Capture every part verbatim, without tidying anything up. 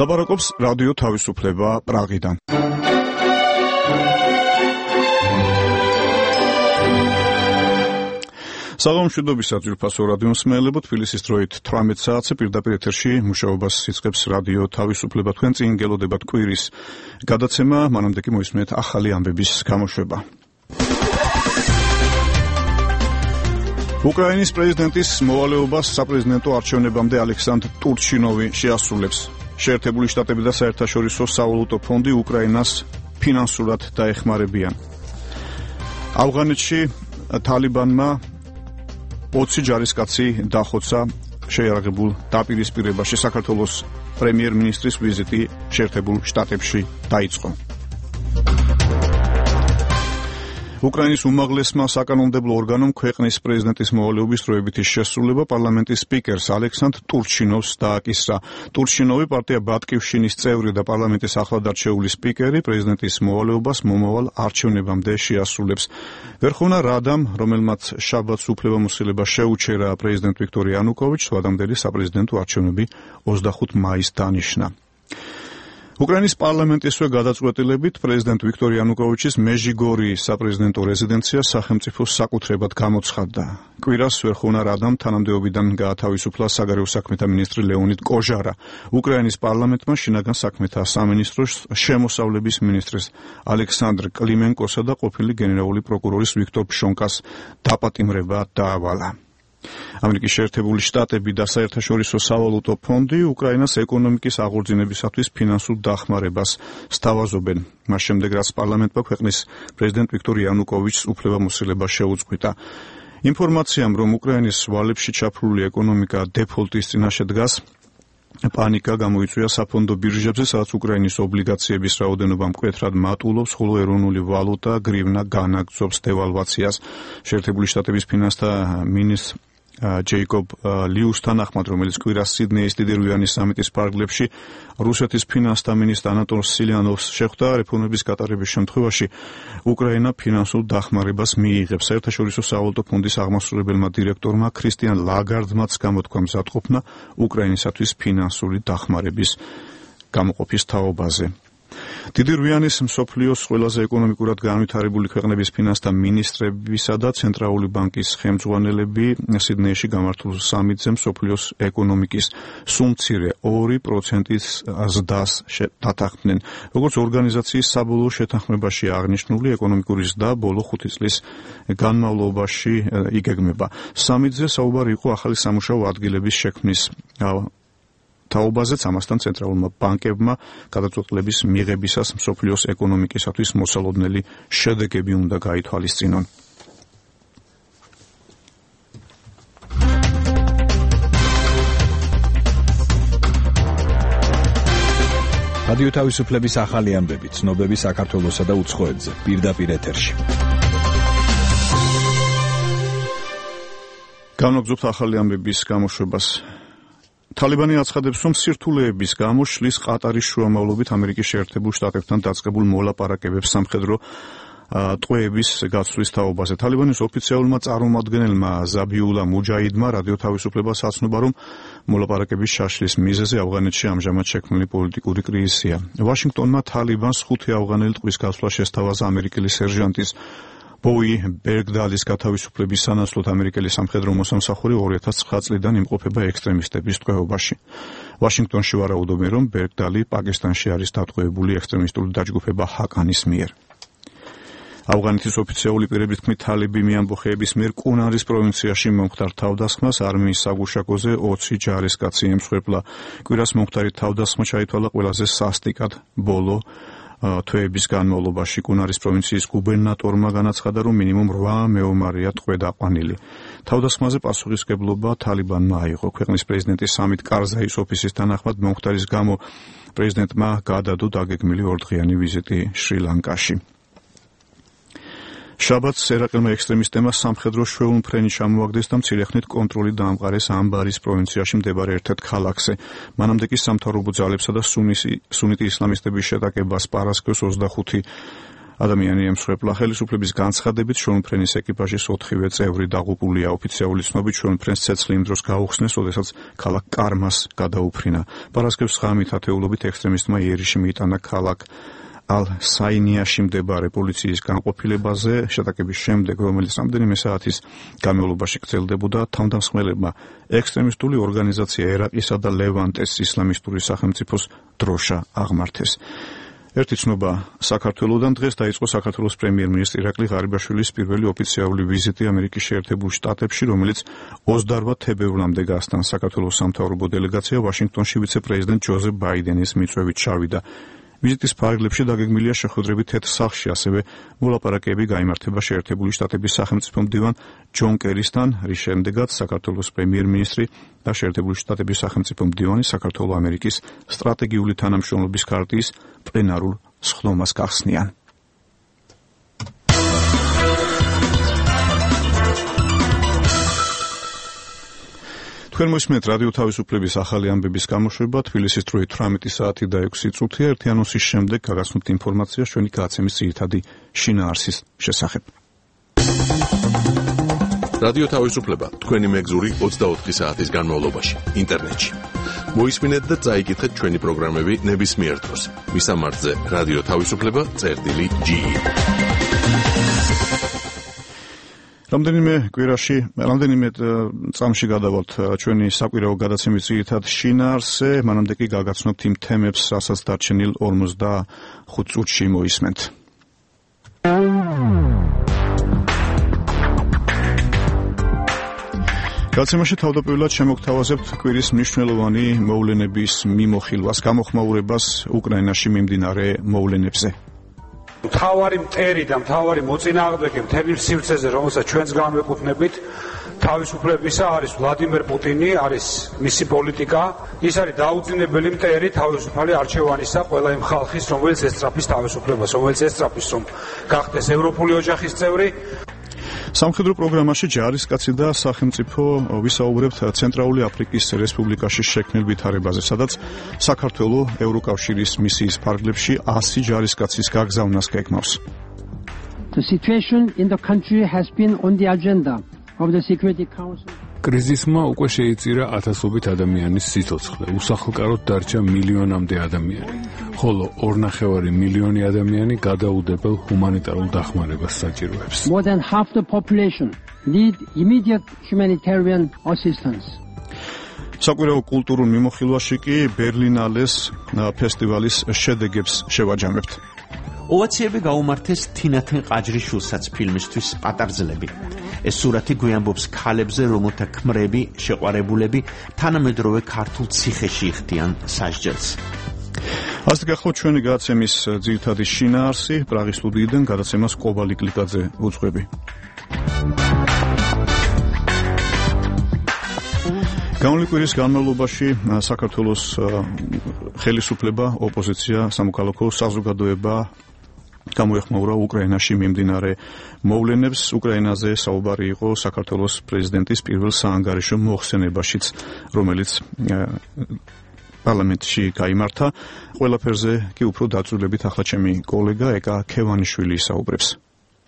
ლაპარაკობს რადიო თავისუფლება პრაღიდან. საღამომშვიდობის საძირფასო რადიო მსმენელებო, თბილისის დროით თვრამეტ საათზე პირდაპირ ეთერში მუშაობას იწყებს რადიო თავისუფლება. თქვენ წინ გელოდებათ კვირის გადაცემა, მანამდე კი მოისმენთ ახალი ამბების გამოშვება. უკრაინის პრეზიდენტის მოვალეობას საპრეზიდენტო არჩევნებამდე ალექსანდრ ტურჩინოვი შეასრულებს. შეერთებული შტატები და საერთაშორისო სავალუტო ფონდი უკრაინას ფინანსურად დაეხმარებიან. ავღანეთში თალიბანმა ოცი ჯარისკაცი დახოცა შეიარაღებულ დაპირისპირებაში. საქართველოს პრემიერ-მინისტრის ვიზიტი შეერთებულ შტატებში დაიწყო. უკრაინის უმაღლესმა საკანონმდებლო ორგანომ ქვეყნის პრეზიდენტის მოვალეობის დროებითი შესრულება პარლამენტის სპიკერს ალექსანდრ ტურჩინოვს დააკისრა. ტურჩინოვი პარტია ბატკივშინის წევრი და პარლამენტის ახლად არჩეული სპიკერი პრეზიდენტის მოვალეობას მომავალ არჩევნებამდე შეასრულებს. ვერხოვნა რადამ, რომელმაც შაბათს უფლებამოსილება შეუჩერა პრეზიდენტ ვიქტორ იანუკოვიჩს, ვადამდელი საპრეზიდენტო არჩევნები ოცდახუთ მაისს დანიშნა. უკრაინის პარლამენტისვე გადაწყვეტილებით პრეზიდენტ ვიქტორ იანუკოვიჩის მეჟიგორიის საპრეზიდენტო რეზიდენცია სახელმწიფოს საკუთრებად გამოცხადდა. კვირას ვერხოვნა რადამ თანამდებობიდან გაათავისუფლა საგარეო საქმეთა მინისტრი ლეონიდ კოჟარა. უკრაინის პარლამენტმა შინაგან საქმეთა სამინისტროს შემოსავლების მინისტრის ალექსანდრ კლიმენკოსა და ყოფილი გენერალური პროკურორის ვიქტორ ფშონკას დაპატიმრება დაავალა. ამერიკის შეერთებული შტატები და საერთაშორისო სავალუტო ფონდი უკრაინას ეკონომიკის აღორძინებისათვის ფინანსურ დახმარებას სთავაზობენ. მას შემდეგ, რაც პარლამენტმა ქვეყნის პრეზიდენტ ვიქტორ იანუკოვიჩს უფლებამოსილება შეუწყვიტა. ინფორმაციამ, რომ უკრაინის ვალებში ჩაფლული ეკონომიკა დეფოლტის წინაშე დგას, პანიკა გამოიწვია საფონდო ბირჟებზე, სადაც უკრაინის ობლიგაციების რაოდენობა მკვეთრად მატულობს, ხოლო ეროვნული ვალუტა გრივნა განაგრძობს დევალვაციას. შეერთებული შტატების ფინანსთა მინისტრ ჯეიკობ ლიუსთან ახმად, რომელიც კვირას სიდნეის დიდი რვიანი სამიტის ფარგლებში რუსეთის ფინანსთა მინისტრ ანატოლ სილიანოვს შეხვდა, რეფორმების გატარების შემთხვევაში უკრაინა ფინანსურ დახმარებას მიიღებს. საერთაშორისო სავალუტო ფონდის აღმასრულებელმა დირექტორმა ქრისტიან ლაგარდმაც გამოთქვა მზადყოფნა უკრაინისათვის ფინანსური დახმარების გამოყოფის თაობაზე. დიდი რვიანის მსოფლიოს ყველაზე ეკონომიკურად განვითარებული ქვეყნების ფინანსთა მინისტრებისა და ცენტრალური ბანკის ხელმძღვანელები სიდნეიში გამართულ სამიტზე მსოფლიოს ეკონომიკის სუმცირე ორი პროცენტის ზრდას დათანხმდნენ. როგორც ორგანიზაციის საბოლოო შეთანხმებაში აღნიშნული, ეკონომიკური ზრდა ბოლო ხუთი წლის განმავლობაში იგეგმება. სამიტზე საუბარი იყო ახალი სამუშაო ადგილების შექმნის თაობაზეც, ამასთან ცენტრალურმა ბანკებმა გადაწყვეტილების მიღებისას მსოფლიოს ეკონომიკისათვის მოსალოდნელი შედეგები უნდა გაითვალისწინონ. რადიო თავისუფლების ახალი ამბები, ცნობები საქართველოსა და უცხოეთზე, პირდაპირ ეთერში. განვაგრძობთ ახალი ამბების გამოშვებას. თალიბანი აცხადებს, რომ სირთულეების გამო შლის ყატარის შუამავლობით ამერიკის შეერთებულ შტატებთან დაწყებულ მოლაპარაკებებს სამხედრო ტყვეების გაცვლის თაობაზე. თალიბანის ოფიციალურმა წარმომადგენელმა ზაბიულა მუჯაიდმა რადიო თავისუფლებას აცნობა, რომ მოლაპარაკების შაშლის მიზეზი ავღანეთში ამჟამად შექმნილი პოლიტიკური კრიზისია. ვაშინგტონმა თალიბანს ხუთი ავღანელი ტყვის გაცვლა შესთავაზა ამერიკელი სერჟანტის ბოი ბერგდალის გათავისუფლების სანაცვლოდ. ამერიკელი სამხედრო მოსამსახური ორი ათას ცხრა წლიდან იმყოფება ექსტრემისტების ტყვეობაში. ვაშინგტონში ვარაუდობენ, რომ ბერგდალი პაკისტანში არის დატყვევებული ექსტრემისტული დაჯგუფება ჰაკანის მიერ. ავღანეთის ოფიციალური პირების თქმით, თალიბანი ამბოხეების მიერ კუნარის პროვინციაში მომხდარ თავდასხმას არმიის საგუშაგოზე ოცი ჯარისკაცი ემსხვერპლა. კვირას მომხდარი თავდასხმა ჩაითვალა ყველაზე სასტიკად ბოლო თვეების განმავლობაში. კუნარის პროვინციის გუბერნატორმა განაცხადა, რომ მინიმუმ რვა მეომარია ტყვე დაყვანილი. თავდასხმაზე პასუხისმგებლობა თალიბანმა აიღო. ქვეყნის პრეზიდენტის სამით კარზაის ოფისის თანახმად მომხდარის გამო პრეზიდენტმა გადადო დაგეგმილი ორდღიანი ვიზიტი შრი-ლანკაში. შაბათს ერაყელმა ექსტრემისტებმა სამხედრო შვეულმფრენი ჩამოაგდეს და მცირე ხნით კონტროლი დაამყარეს ამბარის პროვინციაში მდებარე ერთ-ერთ ქალაქზე. მანამდე კი სამთავრობო ძალებსა და სუნიტი ისლამისტების შეტაკებას პარასკევს ოცდახუთი ადამიანი ემსხვერპლა. ხელისუფლების განცხადებით შრომფრენის ეკიპაჟის ოთხივე წევრი დაღუპულია. ოფიციალური ცნობით შრომფრენს ცეცხლი იმ დროს გაუხსნეს, როდესაც ქალაქ კარმას გადაუფრინა. პარასკევს ღამით ათეულობით ექსტრემისტმა იერიში მიიტანა ქალაქ ალ-საინიაში მდებარე პოლიციის განყოფილებაზე. შეტაკების შემდეგ, რომელიც რამდენიმე საათის განმავლობაში გრძელდებოდა, თავდამსხმელებმა ექსტრემისტული ორგანიზაცია ერაყისა და ლევანტეს ისლამისტური სახელმწიფოს დროშა აღმართეს. ერთი ცნობა საქართველოდან. დღეს დაიწყო საქართველოს პრემიერ-მინისტრი ირაკლი ღარიბაშვილის პირველი ოფიციალური ვიზიტი ამერიკის შეერთებულ შტატებში, რომელიც ოცდაორ თებერვლამდე გასტანს. საქართველოს სამთავრობო დელეგაცია ვაშინგტონში ვიცე-პრეზიდენტ ჯოზეფ ბაიდენის მიწვევით ჩავიდა. ვიზიტის ფარგლებში დაგეგმილია შეხვედრები თეთრ სახლში, ასევე მოლაპარაკებები გაიმართება შეერთებული შტატების სახელმწიფო მდივან ჯონ კერისთან, რის შემდეგაც საქართველოს პრემიერ-მინისტრი და შეერთებული შტატების სახელმწიფო მდივანი საქართველო-ამერიკის სტრატეგიული თანამშრომლობის ქარტიის პლენარულ სხდომას გახსნიან. თქვენ მოსმენთ რადიო თავისუფლების ახალი ამბების გამოშვება. თბილისის დროით თვრამეტი საათი და ექვსი წუთია. ერთი ანონსის შემდეგ გაგაცნობთ ინფორმაცია ჩვენი გადაცემის ძირითადი შინაარსის შესახებ. რადიო თავისუფლება თქვენი მეგზური ოცდაოთხი საათის განმავლობაში ინტერნეტში. მოისმინეთ და წაიკითხეთ ჩვენი პროგრამები ნებისმიერ დროს. მისამართზე რადიო თავისუფლება წერტილი ჯი. რამდენიმე კვირაში, რამდენიმე წამში გადავალთ ჩვენი საკვირაო გადაცემის ძირითად შინაარსზე, მანამდე კი გაგაცნობთ იმ თემებს, რასაც დარჩენილ ორმოცდახუთ წუთში მოისმენთ. გადაცემაში თავდაპირველად შემოგთავაზებთ კვირის მნიშვნელოვანი მოვლენების მიმოხილვას, გამოხმაურებას უკრაინაში მიმდინარე მოვლენებზე. მთავარი მტერი და მთავარი მოწინააღმდეგე მთელი სივრცეზე, რომელსაც ჩვენც განვეკუთვნებით, თავისუფლებისა არის ვლადიმერ პუტინი, არის მისი პოლიტიკა. ის არის დაუძინებელი მტერი თავისუფალი არჩევანისა ყველა იმ ხალხის, რომელიც ესწრაფის თავისუფლებას, რომელიც ესწრაფის, რომ გახდეს ევროპული ოჯახის წევრი. სამხედრო პროგრამაში ჯარისკაცი და სახელმწიფო ვისაუბრებთ ცენტრალური აფრიკის რესპუბლიკაში შექმნილ ვითარებაზე, სადაც საქართველო ევროკავშირის მისიის ფარგლებში ასი ჯარისკაცის გაგზავნას გეგმავს. The situation in the country has been on the agenda of the Security Council. კრიზისმა უკვე შეიწირა ათასობით ადამიანის სიცოცხლე, უსახლკაროდ დარჩა მილიონამდე ადამიანი, ხოლო ორნახევარი მილიონი ადამიანი გადაუდებელ ჰუმანიტარულ დახმარებას საჭიროებს. More than half the population need immediate humanitarian assistance. საკვირაო კულტურულ მიმოხილვაში კი ბერლინალეს ფესტივალის შედეგებს შევაჯამებთ. ოვაციები გაუმართეს თინათინ ყაჯრიშვილსაც ფილმისთვის პატარძლები. ეს სურათი გვიამბობს ქალებზე, რომელთა ქმრები, შეყვარებულები თანამედროვე ქართულ ციხეში იხდიან სასჯელს. ასე გახლავთ ჩვენი გადაცემის ძირითადი შინაარსი. პრაღის სტუდიიდან გადაცემას კობალი კლიკაძე უძღვები. გამოვლინი კვირის განმავლობაში საქართველოს ხელისუფლება, ოპოზიცია, სამოქალაქო საზოგადოება გამოეხმაურა უკრაინაში მიმდინარე მოვლენებს. უკრაინაზე საუბარი იყო საქართველოს პრეზიდენტის პირველ საანგარიშო მოხსენებაშიც, რომელიც პარლამენტში გაიმართა. ყველაფერზე კი უფრო დაწვრილებით ახლა ჩემი კოლეგა ეკა ქევანიშვილი ისაუბრებს.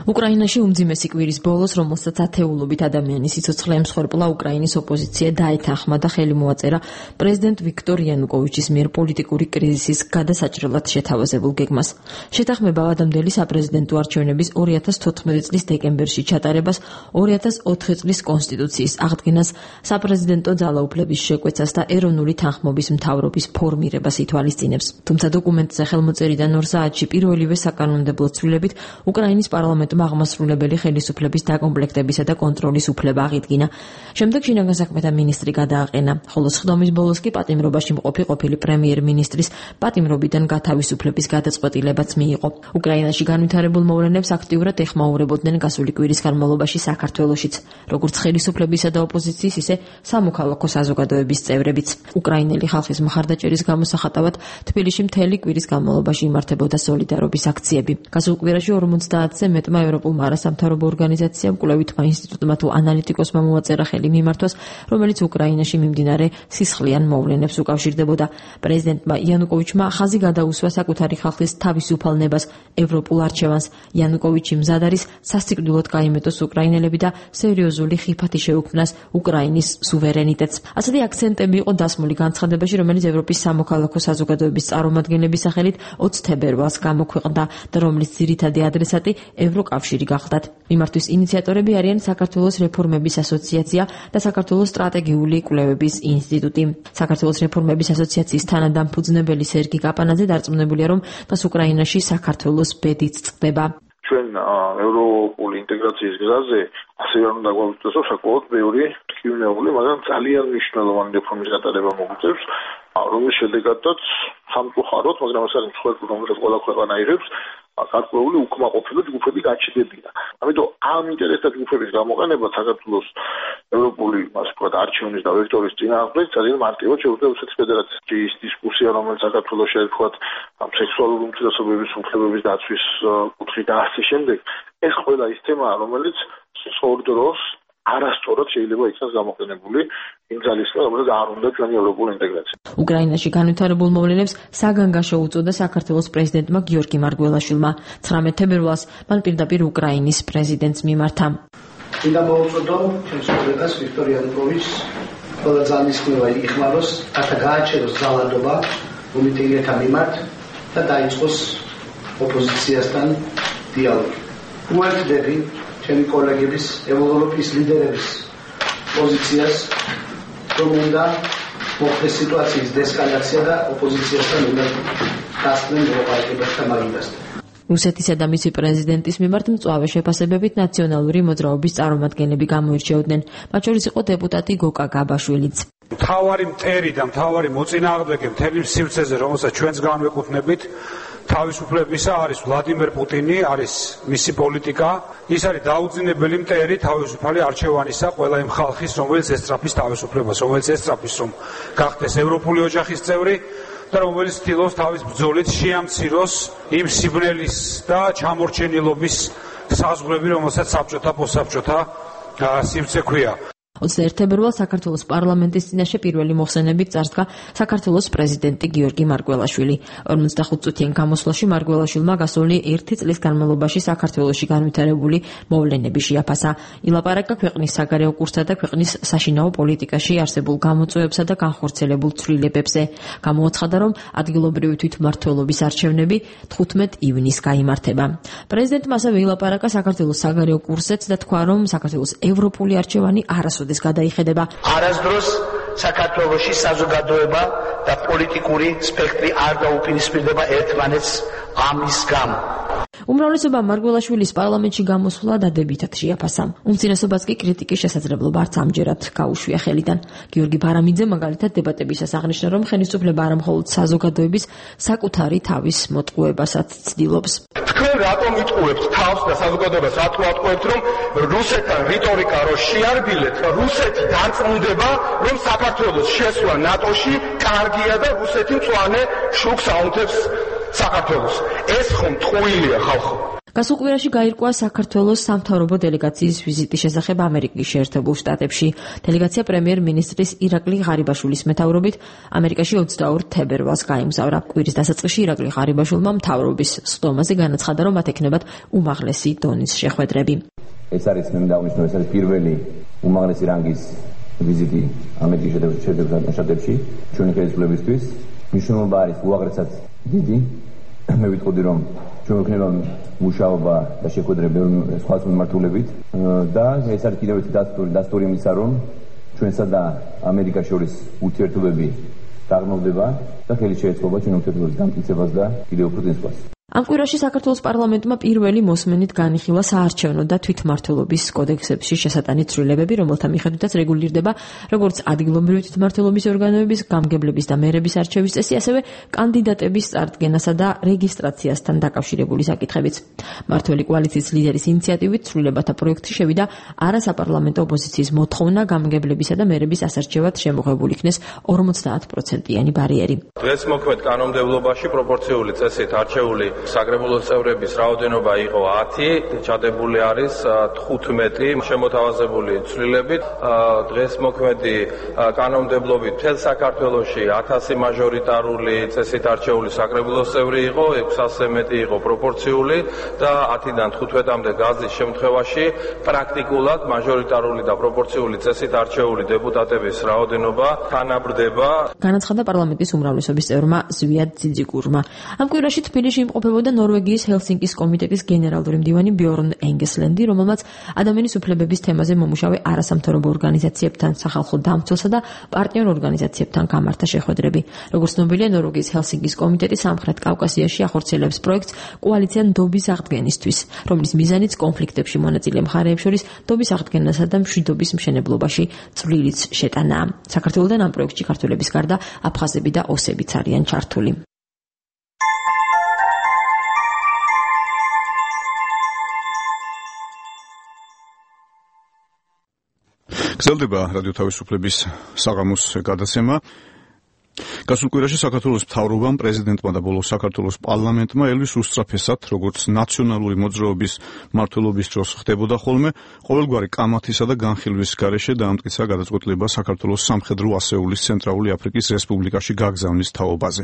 უკრაინაში უმძიმესი კვირის ბოლოს, რომელსაც ათეულობით ადამიანის სიცოცხლე ემსხვერპლა, უკრაინის ოპოზიცია დაეთანხმა და ხელი მოაწერა პრეზიდენტ ვიქტორ იანუკოვიჩის მიერ პოლიტიკური კრიზისის გადასაჭრელად შეთავაზებულ გეგმას. შეთანხმება ადამდელი საპრეზიდენტო არჩევნების ორი ათას თოთხმეტი წლის დეკემბერში ჩატარებას, ორი ათას ოთხი წლის კონსტიტუციის აღდგენას, საპრეზიდენტო ძალაუფლების შეკვეცას და ეროვნული თანხმობის მთავრობის ფორმირებას ითვალისწინებს. თუმცა დოკუმენტზე ხელმოწერიდან ორ საათში პირველივე საკანონმდებლო ცვლილებით უკრაინის პარლამენტი აღმასრულებელი ხელისუფლების დაკომპლექტებისა და კონტროლის უფლება აღიდგინა. შემდეგ შინაგან საქმეთა მინისტრი გადააყენა, ხოლო სხდომის ბოლოს კი პატიმრობაში მყოფი ყოფილი პრემიერ-მინისტრის პატიმრობიდან გათავისუფლების გადაწყვეტილებაც მიიღო. უკრაინაში განვითარებულ მოვლენებს აქტიურად ეხმაურებოდნენ გასული კვირის განმავლობაში საქართველოშიც, როგორც ხელისუფლებისა და ოპოზიციის, ისე სამოქალაქო საზოგადოების წევრებიც. უკრაინელი ხალხის მხარდაჭერის გამოსახატავად თბილისში მთელი კვირის განმავლობაში იმართებოდა სოლიდარობის აქციები. გასულ კვირაში ორმოცდაათზე მეტ პრეზიდენტმა, ევროპულმა არასამთავრობო ორგანიზაციამ, კვლევითმა ინსტიტუტმა თუ ანალიტიკოსმა მოაწერა ხელი მიმართვას, რომელიც უკრაინაში მიმდინარე სისხლიან მოვლენებს უკავშირდებოდა. პრეზიდენტმა იანუკოვიჩმა ხაზი გადაუსვა საკუთარი ხალხის თავისუფალებას, ევროპულ არჩევანს. იანუკოვიჩი მზად არის სასიკვდილოდ გაიმეტოს უკრაინელები და სერიოზული ხიფათი შეუქმნას უკრაინის სუვერენიტეტს. ასეთი აქცენტები იყო დასმული განცხადებაში, რომელიც ევროპის სამოქალაქო საზოგადოების წარმომადგენლების სახელით ოცი თებერვალს გამოქვეყნდა და რომლის ძირითადი ადრესატი ევროკავშირი გახლდათ. მიმართვის ინიციატორები არიან საქართველოს რეფორმების ასოციაცია და საქართველოს სტრატეგიული კვლევების ინსტიტუტი. საქართველოს რეფორმების ასოციაციის თანადამფუძნებელი სერგი კაპანაძე დარწმუნებულია, რომ დღეს უკრაინაში საქართველოს ბედიც წყდება. ჩვენ ევროპული ინტეგრაციის გზაზე ასე არ უნდა გვაუწყდეს, რომ საკმაოდ ბევრი ტკივნეული, მაგრამ ძალიან მნიშვნელოვანი რეფორმის გატარება მოგვიწევს, რომლის შედეგადაც სამწუხაროდ, მაგრამ ეს არის მსხვერპლი, რომელსაც ყველა ქვეყანა იღებს, გარკვეული უკმაყოფილო ჯგუფები გაჩნდებიან. ამიტომ ამ ინტერესთა ჯგუფების გამოყენება საქართველოს ევროპული, ასე ვთქვათ, არჩევნის და ვექტორის წინააღმდეგ ძალიან მარტივად შეუძლია რუსეთის ფედერაციას. ის დისკუსია, რომელიც საქართველოში არის, ვთქვათ, სექსუალური უმცირესობების უფლებების დაცვის კუთხით და ასე შემდეგ, ეს ყველა ის თემაა, რომელიც სწორ დროს არასწორად შეიძლება იქნას გამოყენებული იმ ძალისგან, რომელიც არ უნდა ჩვენი ევროპული ინტეგრაცია. უკრაინაში განვითარებულ მოვლენებს საგანგაშო უწოდა საქართველოს პრეზიდენტმა გიორგი მარგველაშვილმა. ცხრამეტ თებერვალს მან პირდაპირ უკრაინის პრეზიდენტს მიმართა. მინდა მოუწოდო ჩემს კოლეგას ვიქტორ იანუკოვიჩს, ყველა ძალისხმევა იხმაროს, რათა გააჩეროს ძალადობა მომიტინგეთა მიმართ და დაიწყოს ოპოზიციასთან დიალოგი. უერთდები ჩემი კოლეგების, ევროპის ლიდერების პოზიციას, რომ უნდა მოხდეს სიტუაციის დესკალაცია და ოპოზიციასთან უნდა დასწრენ მოლაპარაკებათა მაგიდასთან. რუსეთისა და მისი პრეზიდენტის მიმართ მწვავე შეფასებებით ნაციონალური მოძრაობის წარმომადგენლები გამოირჩეოდნენ. მათ შორის იყო დეპუტატი გოკა გაბაშვილიც. მთავარი მტერი და მთავარი მოწინააღმდეგე მთელი სივრცეზე, რომელსაც ჩვენც განვეკუთვნებით, თავისუფლებისა არის ვლადიმერ პუტინი, არის მისი პოლიტიკა, ის არის დაუძინებელი მტერი თავისუფალი არჩევანისა ყველა იმ ხალხის, რომელიც ესწრაფის თავისუფლებას, რომელიც ესწრაფის, რომ გახდეს ევროპული ოჯახის წევრი და რომელიც ცდილობს თავის ბრძოლით შეამციროს იმ სიბნელის და ჩამორჩენილობის საზღვრები, რომელსაც საბჭოთა პოსტსაბჭოთა სივრცე ქვია. ოცდაერთი თებერვალს საქართველოს პარლამენტის წინაშე პირველი მოხსენებით წარსდგა საქართველოს პრეზიდენტი გიორგი მარგველაშვილი. ორმოცდახუთ წუთიან გამოსვლაში მარგველაშვილმა გასული ერთი წლის განმავლობაში საქართველოში განვითარებული მოვლენები შეაფასა. ილაპარაკა ქვეყნის საგარეო კურსსა და ქვეყნის საშინაო პოლიტიკაში არსებულ გამოწვევებსა და განხორციელებულ ცვლილებებზე. გამოაცხადა, რომ ადგილობრივი თვითმმართველობის არჩევნები თხუთმეტ ივნისს გაიმართება. პრეზიდენტმა ასევე ილაპარაკა საქართველოს საგარეო კურსზეც და თქვა, რომ საქართველოს ევროპული არჩევანი არასოდეს გადაიხედება. არასდროს საქართველოში საზოგადოება და პოლიტიკური სპექტრი არ დაუპირისპირდება ერთმანეთს ამის გამო. უმრავლესობა მარგველაშვილის პარლამენტში გამოსვლა დადებითად შეაფასა. უმცირესობას კი კრიტიკის შესაძლებლობა არც ამჯერად გაუშვია ხელიდან. გიორგი ბარამიძე მაგალითად დებატებისას აღნიშნა, რომ ხელისუფლება არა მხოლოდ საზოგადოების საკუთარი თავის მოტყუებასაც ცდილობს. თქვენ რატომ იტყუებთ თავს და საზოგადოებას რატომ ატყუებთ, რომ რუსეთთან რიტორიკა რო შეარბილეთ, რუსეთი დარწმუნდება, რომ საქართველოს შესვლა ნატოში კარგია და რუსეთი მწვანე შუქს აუნთებს საქართველოს. ეს ხომ ტყუილია ხალხო. გასულ კვირაში გაირკვა საქართველოს სამთავრობო დელეგაციის ვიზიტის შესახებ ამერიკის შეერთებულ შტატებში. დელეგაცია პრემიერ-მინისტრის ირაკლი ღარიბაშვილის მეთაურობით ამერიკაში ოცდაორ თებერვალს გაემგზავრა. კვირის დასაწყისში ირაკლი ღარიბაშვილმა მთავრობის სხდომაზე განაცხადა, რომ მათ ექნებათ უმაღლესი დონის შეხვედრები. ეს არის მე დავნიშნო, ეს არის პირველი უმაღლესი რანგის ვიზიტი ამერიკის შეერთებულ შტატებში ჩვენი ხელისუფლებისთვის. მნიშვნელობა არის უაღრესად დიდი. მე ვიტყოდი, რომ ჩვენ ვქნება მუშაობა და შეხვედრები სხვა მიმართულებით და ეს არის კიდევ ერთი დასტური იმისა, რომ ჩვენსა და ამერიკას შორის ურთიერთობები დაღმავდება და ხელი შეეწყობა ჩვენ ურთიერთობების დამტკიცებას და კიდევ უფრო წინსვლას. ამ კვირაში საქართველოს პარლამენტმა პირველი მოსმენით განიხილა საარჩევნო და თვითმმართველობის კოდექსებში შესატანი ცვლილებები, რომელთა მიხედვითაც რეგულირდება როგორც ადგილობრივი თვითმმართველობის ორგანოების, გამგებლების და მერების არჩევის წესი, ასევე კანდიდატების წარდგენასა და რეგისტრაციასთან დაკავშირებული საკითხებიც. მმართველი კოალიციის ლიდერის ინიციატივით ცვლილებათა პროექტი შევიდა არასაპარლამენტო ოპოზიციის მოთხოვნა გამგებლებისა და მერების ასარჩევად შემოღებული იქნეს ორმოცდაათ პროცენტიანი ბარიერი. დღეს მოქმედ კანონმდებლობაში პროპორციული წესით არჩეული საკრებულოს წევრების რაოდენობა იყო ათი, ჩადებული არის თხუთმეტი შემოთავაზებული ცვლილებით. დღეს მოქმედი კანონმდებლობით მთელ საქართველოში ათასი მაჟორიტარული წესით არჩეული საკრებულოს წევრი იყო, ექვსასი მეტი იყო პროპორციული და ათიდან თხუთმეტამდე გაზის შემთხვევაში პრაქტიკულად მაჟორიტარული და პროპორციული წესით არჩეული დეპუტატების რაოდენობა თანაბრდება. განაცხადა პარლამენტის უმრავლესობის წევრმა ზვიად ძიძიგურმა. ამ კვირაში თბილისში იმყოფებოდა ნორვეგიის ჰელსინკის კომიტეტის გენერალური მდივანი ბიორნ ენგესლენდი, რომელმაც ადამიანის უფლებების თემაზე მომუშავე არასამთავრობო ორგანიზაციებთან, სახალხო დამცველსა და პარტნიორ ორგანიზაციებთან გამართა შეხვედრები. როგორც ცნობილია, ნორვეგიის ჰელსინკის კომიტეტი სამხრეთ კავკასიაში ახორციელებს პროექტს კოალიცია ნდობის აღდგენისთვის, რომლის მიზანიც კონფლიქტებში მონაწილე მხარეებს შორის ნდობის აღდგენასა და მშვიდობის მშენებლობაში წვლილიც შეტანაა. საქართველოდან ამ პროექტში ქართველების გარდა აფხაზები და ოსებიც არიან ჩართული. გრძელდება რადიო თავისუფლების საღამოს გადაცემა. გასულ კვირაში საქართველოს მთავრობამ, პრეზიდენტმა და ბოლოს საქართველოს პარლამენტმა ელვის უსწრაფესად, როგორც ნაციონალური მოძრაობის მმართველობის დროს ხდებოდა ხოლმე, ყოველგვარი კამათისა და განხილვის გარეშე დაამტკიცა გადაწყვეტილება საქართველოს სამხედრო ასეულის ცენტრალური აფრიკის რესპუბლიკაში გაგზავნის თაობაზე.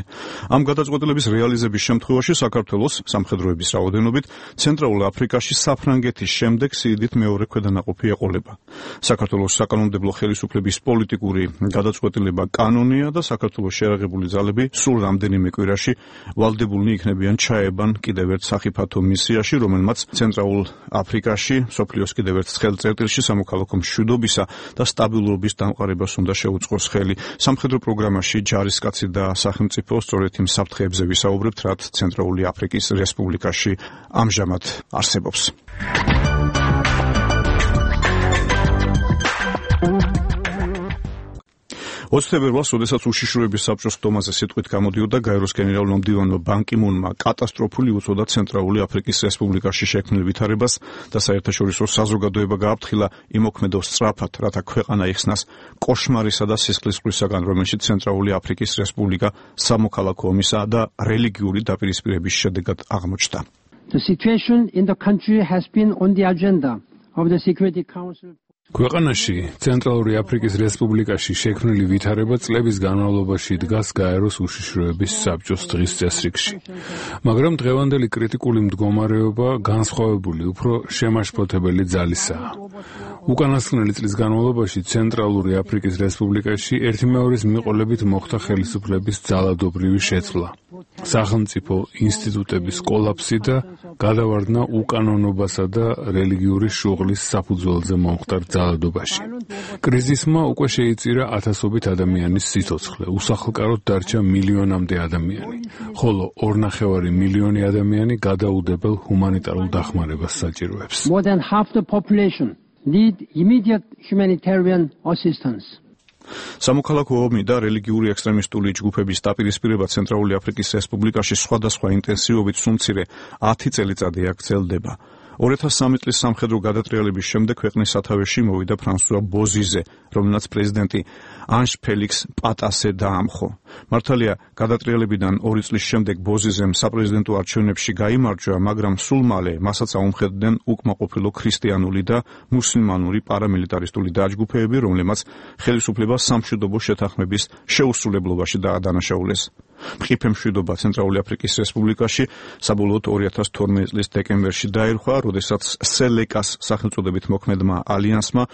ამ გადაწყვეტილების რეალიზების შემთხვევაში საქართველოს სამხედროების რაოდენობით ცენტრალურ აფრიკაში საფრანგეთის შემდეგ სიდიდით მეორე ქვედანაყოფი ეყოლება. საქართველოს საკანონმდებლო ხელისუფლების პოლიტიკური გადაწყვეტილება კანონია და საქართველოს შეერაღებული ძალები სულ რამდენიმე კვირაში ვალდებულნი იქნებიან ჩაებან კიდევ ერთ სახიფათო მისიაში, რომელმაც ცენტრალურ აფრიკაში მსოფლიოს კიდევ ერთ ცხელ წერტილში სამოქალაქო მშვიდობისა და სტაბილურობის დამყარებას უნდა შეუწყოს ხელი. სამხედრო პროგრამაში ჯარისკაცი და სახელმწიფო სწორედ იმ საფრთხეებზე ვისაუბრებთ, რაც ცენტრალური აფრიკის რესპუბლიკაში ამჟამად არსებობს. ოცი თებერვალს, როდესაც უშიშროების საბჭოს ხდომაზე სიტყვით გამოდიოდა გაეროს გენერალურმა მდივანმა ბან კი მუნმა კატასტროფული უწოდა ცენტრალური აფრიკის რესპუბლიკაში შექმნილ ვითარებას და საერთაშორისო საზოგადოება გააფრთხილა იმოქმედო სწრაფად, რათა ქვეყანა იხსნას კოშმარისა და სისხლისღვრისაგან, რომელშიც ცენტრალური აფრიკის რესპუბლიკა სამოქალაქო ომისა და რელიგიური დაპირისპირების შედეგად აღმოჩნდა. The situation in the country has been on the agenda of the Security Council. ქვეყანაში ცენტრალური აფრიკის რესპუბლიკაში შექმნილი ვითარება წლების განმავლობაში დგას გაეროს უშიშროების საბჭოს დღის წესრიგში. მაგრამ დღევანდელი კრიტიკული მდგომარეობა განსხვავებული, უფრო შემაშფოთებელი ძალისაა. უკანასკნელი წლის განმავლობაში ცენტრალური აფრიკის რესპუბლიკაში ერთიმეორის მიყოლებით მოხდა ხელისუფლების ძალადობრივი შეცვლა, სახელმწიფო ინსტიტუტების კოლაფსი და გადავარდნა უკანონობასა და რელიგიური შუღლის საფუძველზე მომხდარ ძალადობაში. კრიზისმა უკვე შეიწირა ათასობით ადამიანის სიცოცხლე, უსახლკაროდ დარჩა მილიონამდე ადამიანი, ხოლო ორნახევარი მილიონი ადამიანი გადაუდებელ ჰუმანიტარულ დახმარებას საჭიროებს. More than half the population need immediate humanitarian assistance. სამოქალაქო ომი და რელიგიური ექსტრემისტული ჯგუფების დაპირისპირება ცენტრალური აფრიკის რესპუბლიკაში სხვადასხვა ინტენსივობით სულ ათი წელიწადი აქ გრძელდება. ორი ათას სამი წლის სამხედრო გადატრიალების შემდეგ ქვეყნის სათავეში მოვიდა ფრანსუა ბოზიზე, რომელსაც პრეზიდენტი ანჟ ფელიქს პატასე დაამხო. მართალია, გადატრიალებიდან ორი წლის შემდეგ ბოზიზემ საპრეზიდენტო არჩევნებში გაიმარჯვა, მაგრამ სულ მალე მასაც აუმხედდნენ უკმაყოფილო ქრისტიანული და მუსლიმანური პარამილიტარისტული დაჯგუფებები, რომლებმაც ხელისუფლება სამშვიდობო შეთანხმების შეუსრულებლობაში დაადანაშაულეს. მყიფე მშვიდობა ცენტრალური აფრიკის რესპუბლიკაში საბოლოოდ ორი ათას თორმეტი წლის დეკემბერში დაირხვა, როდესაც სელეკას სახელწოდებით მოქმედმა ალიანსმა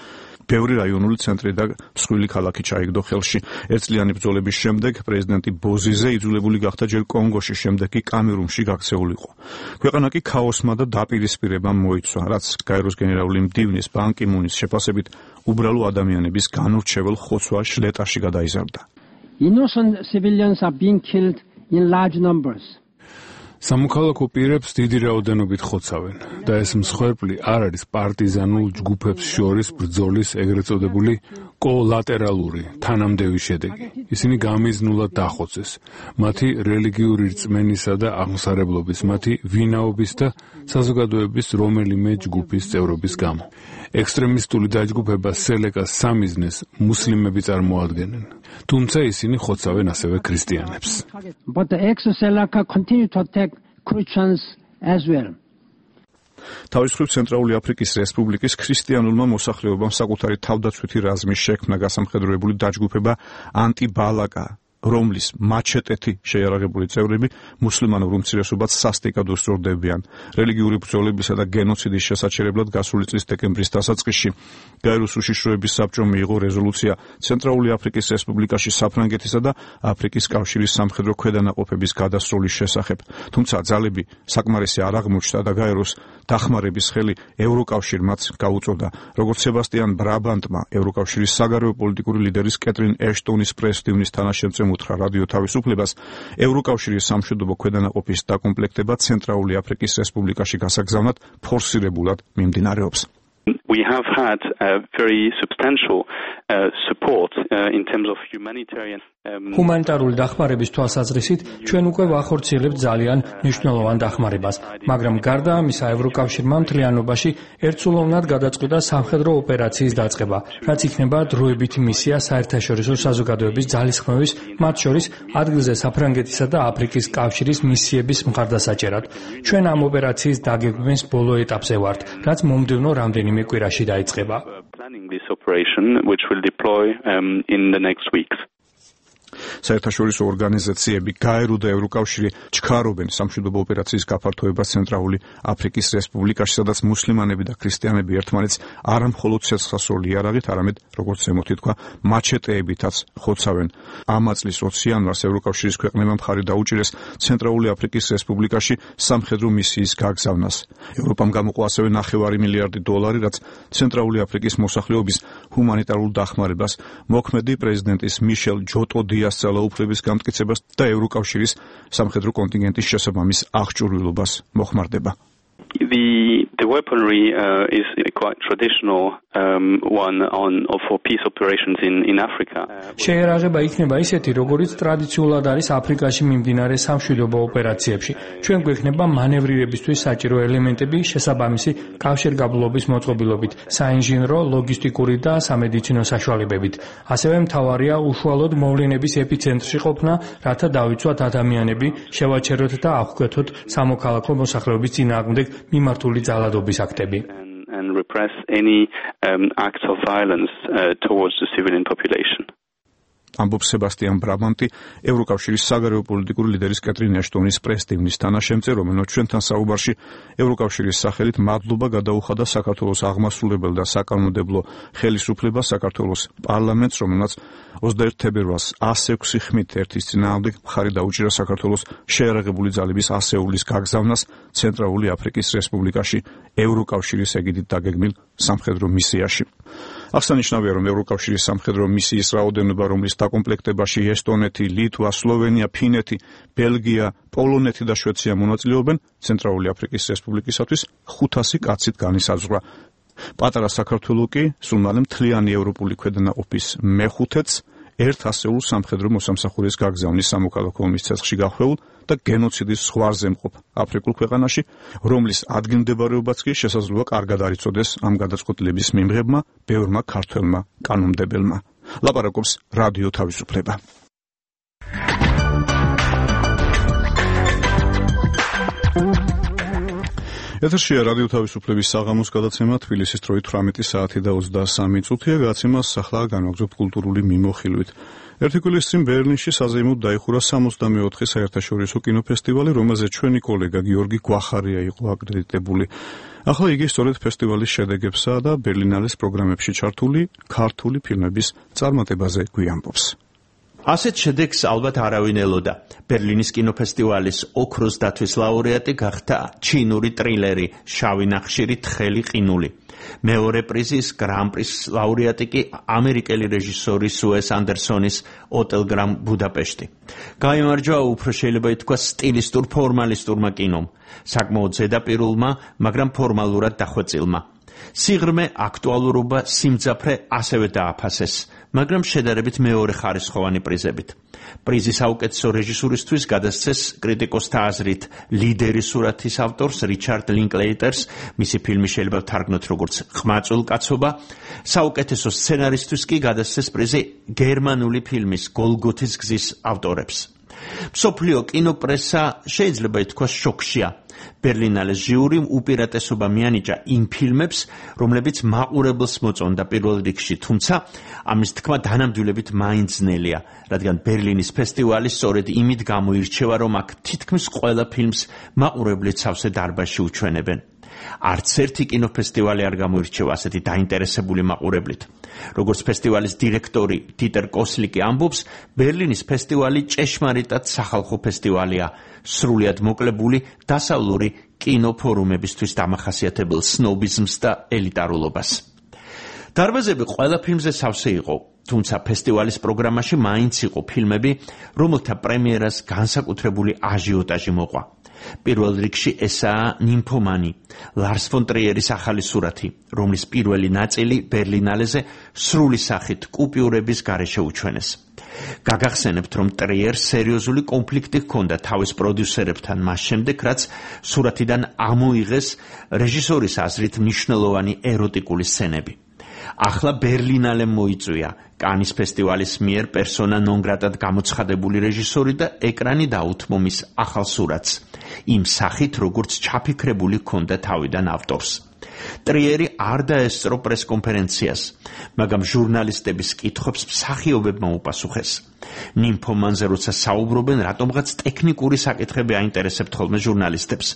ბევრი რაიონული ცენტრი და მსხვილი ქალაქი ჩაიგდო ხელში. ერთწლიანი ბრძოლების შემდეგ პრეზიდენტი ბოზიზე იძულებული გახდა ჯერ კონგოში, შემდეგ კი კამერუნში გაქცეულიყო. ქვეყანა კი ქაოსმა და დაპირისპირებამ მოიცვა, რაც გაეროს გენერალური მდივნის ბან კი მუნის შეფასებით უბრალო ადამიანების განურჩეულ ხოცვა შლეტაში გადაიზარდა. Innocent civilians are being killed in large numbers. სამოქალაქო პირებს დიდი რაოდენობით ხოცავენ და ეს მსხვერპლი არ არის პარტიზანულ ჯგუფებს შორის ბრძოლის ეგრეთ წოდებული კოლატერალური თანამდები შედეგი. ისინი გამიზნულად დახოცეს მათი რელიგიური რწმენისა და აღმსარებლობის, მათი ვინაობის და საზოგადოების რომელიმე ჯგუფის წევრობის გამო. ექსტრემისტული დაჯგუფება სელეკას სამიზნეს მუსლიმები წარმოადგენენ, თუმცა ისინი ხოცავენ ასევე ქრისტიანებს. But the ex-Seleka continue to attack Christians as well. თავის მხრივ ცენტრალური აფრიკის რესპუბლიკის ქრისტიანულმა მოსახლეობამ საკუთარი თავდაცვითი რაზმის შექმნა გასამხედროებული დაჯგუფება ანტიბალაკა, რომლის მაჩეტეთი შეიარაღებული წევრები მუსლიმანურ უმცირესობად სასტიკად უსწორდებიან. რელიგიური ბრძოლებისა და გენოციდის შესაჩერებლად გასული წლის დეკემბრის დასაწყისში გაეროს უშიშროების საბჭომ მიიღო რეზოლუცია ცენტრალური აფრიკის რესპუბლიკაში საფრანგეთისა და აფრიკის კავშირის სამხედრო ქვედანაყოფების გადასროლის შესახებ. თუმცა ძალები საკმარისი არ აღმოჩნდა და გაეროს დახმარების ხელი ევროკავშირმაც გაუწოდა. როგორც სებასტიან ბრაბანტმა ევროკავშირის საგარეო პოლიტიკური ლიდერის კეტრინ ეშტონის პრესდივნის თანაშემწემ უთხრა რადიო თავისუფლებას, ევროკავშირის სამშვიდობო ქვედანაყოფის დაკომპლექტება ცენტრალური აფრიკის რესპუბლიკაში გასაგზავნად ფორსირებულად მიმდინარეობს. We have had a very substantial uh, support uh, in terms of humanitarian ჰუმანიტარული დახმარების თვალსაზრისით ჩვენ უკვე ვახორციელებთ ძალიან მნიშვნელოვან დახმარებას, მაგრამ გარდა ამისა ევროკავშირმა მთლიანობაში ერთსულოვნად გადაწყვიტა სამხედრო ოპერაციის დაწყება, რაც იქნება დროებითი მისია საერთაშორისო საზოგადოების ძალისხმევის, მათ შორის ადგილზე საფრანგეთისა და აფრიკის კავშირის მისიების მხარდასაჭერად. ჩვენ ამ ოპერაციის დაგეგმვის ბოლო ეტაპზე ვართ, რაც მომდევნო რამდენიმე კვირაში დაიწყება. საერთაშორისო ორგანიზაციები გაერო და ევროკავშირი ჩქარობენ სამშვიდობო ოპერაციის გაფართოებას ცენტრალური აფრიკის რესპუბლიკაში, სადაც მუსლიმანები და ქრისტიანები ერთმანეთს არა მხოლოდ ცეცხლსასროლი იარაღით, არამედ როგორც ზემოთ ითქვა, მაჩეტეებითაც ხოცავენ. ამ წლის ოცი იანვარს ევროკავშირის ქვეყნებმა მხარი დაუჭირეს ცენტრალური აფრიკის რესპუბლიკაში სამხედრო მისიის გაგზავნას. ევროპამ გამოყო ასევე ნახევარი მილიარდი დოლარი, რაც ცენტრალური აფრიკის მოსახლეობის ჰუმანიტარულ დახმარებას, მოქმედი პრეზიდენტის მიშელ ჯოტოდიას ძალაუფლების გამტკიცებას და ევროკავშირის სამხედრო კონტინგენტის შესაბამის აღჭურვილობას მოხმარდება. The the weaponry uh, is quite traditional um, one on for peace operations in in Africa. შეერაღება იქნება ისეთი, როგორც ტრადიციულად არის აფრიკაში მიმდინარე სამშვიდობო ოპერაციებში. ჩვენ გვექნება მანევრირებისთვის საჭირო ელემენტები შესაბამისი კავშირგაბმულობის მოწყობილობით, საინჟინრო, ლოგისტიკური და სამედიცინო საშუალებებით. ასევე მთავარია უშუალოდ მოვლენების ეპიცენტრში ყოფნა, რათა დავიცვათ ადამიანები, შევაჩეროთ და აღკვეთოთ სამოქალაქო მოსახლეობის წინააღმდეგ მიმართული ძალადობის აქტები. And repress any um, acts of violence uh, towards the civilian population. ამბობს სებასტიან ბრაბანტი, ევროკავშირის საგარეო პოლიტიკური ლიდერის კეტრინ ეშტონის პრესდივნის თანაშემწე, რომელმაც ჩვენთან საუბარში ევროკავშირის სახელით მადლობა გადაუხადა საქართველოს აღმასრულებელ და საკანონმდებლო ხელისუფლებას, საქართველოს პარლამენტს, რომელმაც ოცდაერთი თებერვალს ას ექვსი ხმით ერთის წინააღმდეგ მხარი დაუჭირა საქართველოს შეიარაღებული ძალების ასეულის გაგზავნას ცენტრალური აფრიკის რესპუბლიკაში ევროკავშირის ეგიდით დაგეგმილ სამხედრო მისიაში. აღსანიშნავია, რომ ევროკავშირის სამხედრო მისიის რაოდენობა, რომლის დაკომპლექტებაში ესტონეთი, ლიტვა, სლოვენია, ფინეთი, ბელგია, პოლონეთი და შვეიცარია მონაწილეობენ, ცენტრალური აფრიკის რესპუბლიკისათვის ხუთასი კაცით განისაზღვრა. პატარა საქართველო კი სულ მალე მთლიანი ევროპული ქვედანაყოფის მეხუთეც ერთ ასეულ სამხედრო მოსამსახურეს გაგზავნის სამოქალაქო ომის ცეცხლში გახვეულ და გენოციდის ზღვარზე მყოფ აფრიკულ ქვეყანაში, რომლის ადგილმდებარეობაც კი შესაძლოა კარგად არ იცოდეს ამ გადაწყვეტილების მიმღებმა ბევრმა ქართველმა კანონმდებელმა. ლაპარაკობს რადიო თავისუფლება. ეთერშია რადიო თავისუფლების საღამოს გადაცემა, თბილისის დროით თვრამეტი საათი და ოცდასამი წუთია. გადაცემას ახლა განვაგრძობთ კულტურული მიმოხილვით. ერთი კვირის წინ ბერლინში საზეიმოდ დაიხურა სამოცდამეოთხე საერთაშორისო კინოფესტივალი, რომელზეც ჩვენი კოლეგა გიორგი გვახარია იყო აკრედიტებული. ახლა იგი სწორედ ფესტივალის შედეგებსა და ბერლინალეს პროგრამებში ჩართული ქართული ფილმების წარმატებაზე გვიამბობს. ასეთ შედეგს ალბათ არავინ ელოდა. ბერლინის კინოფესტივალის ოქროს დათვის ლაურეატი გახდა ჩინური ტრილერი შავი ნახშირი თხელი ყინული. მეორე პრიზის გრან-პრის ლაურეატი კი ამერიკელი რეჟისორი უეს ანდერსონის ოტელ გრან ბუდაპეშტი. გაიმარჯვა უფრო შეიძლება ითქვას სტილისტურ ფორმალისტურმა კინომ, საკმაოდ ზედაპირულმა, მაგრამ ფორმალურად დახვეწილმა. სიღრმე, აქტუალურობა, სიმძაფრე ასევე დააფასეს, მაგრამ შედარებით მეორე ხარისხოვანი პრიზებით. პრიზი საუკეთესო რეჟისურისთვის გადასცეს კრიტიკოსთა აზრით ლიდერი სურათის ავტორს რიჩარდ ლინკლეიტერს, მისი ფილმი შეიძლება ვთარგმნოთ როგორც ყმაწვილ კაცობა. საუკეთესო სცენარისტვის კი გადასცეს პრიზი გერმანული ფილმის გოლგოთის გზის ავტორებს. მსოფლიო კინოპრესა შეიძლება ითქვას შოქშია. ბერლინალეს ჟიურიმ უპირატესობა მიანიჭა იმ ფილმებს, რომლებიც მაყურებელს მოწონდა პირველ რიგში, თუმცა ამის თქმა დანამდვილებით მაინც ძნელია, რადგან ბერლინის ფესტივალი სწორედ იმით გამოირჩევა, რომ აქ თითქმის ყველა ფილმს მაყურებლით სავსე დარბაზში უჩვენებენ. არც ერთი კინოფესტივალი არ გამოირჩევა ასეთი დაინტერესებული მაყურებლით. როგორც ფესტივალის დირექტორი დიტერ კოსლიკი ამბობს, ბერლინის ფესტივალი ჭეშმარიტად სახალხო ფესტივალია, სრულიად მოკლებული დასავლური კინოფორუმებისთვის დამახასიათებელ სნობიზმს და ელიტარულობას. დარბაზები ყველა ფილმზე სავსე იყო, თუმცა ფესტივალის პროგრამაში მაინც იყო ფილმები, რომელთა პრემიერას განსაკუთრებული აჟიოტაჟი მოყვა. პირველ რიგში ესაა ნიმფომანი, ლარს ფონ ტრიერის ახალი სურათი, რომლის პირველი ნაწილი ბერლინალეზე სრული სახით კუპიურების გარეშე უჩვენეს. გაგახსენებთ, რომ ტრიერს სერიოზული კონფლიქტი ჰქონდა თავის პროდიუსერებთან მას შემდეგ, რაც სურათიდან ამოიღეს რეჟისორის აზრით მნიშვნელოვანი ეროტიკული სცენები. ახლა ბერლინალემ მოიწვია კანის ფესტივალის მიერ პერსონა ნონ გრატად გამოცხადებული რეჟისორი და ეკრანი დაუთმო მის ახალ სურათს, იმ სახით, როგორც ჩაფიქრებული ჰქონდა თავიდან ავტორს. ტრიერი არ დაესწრო პრესკონფერენციას, მაგრამ ჟურნალისტების კითხვებს მსახიობებმა უპასუხეს. ნიმფომანზე როცა საუბრობენ, რატომღაც ტექნიკური საკითხები აინტერესებთ ხოლმე ჟურნალისტებს.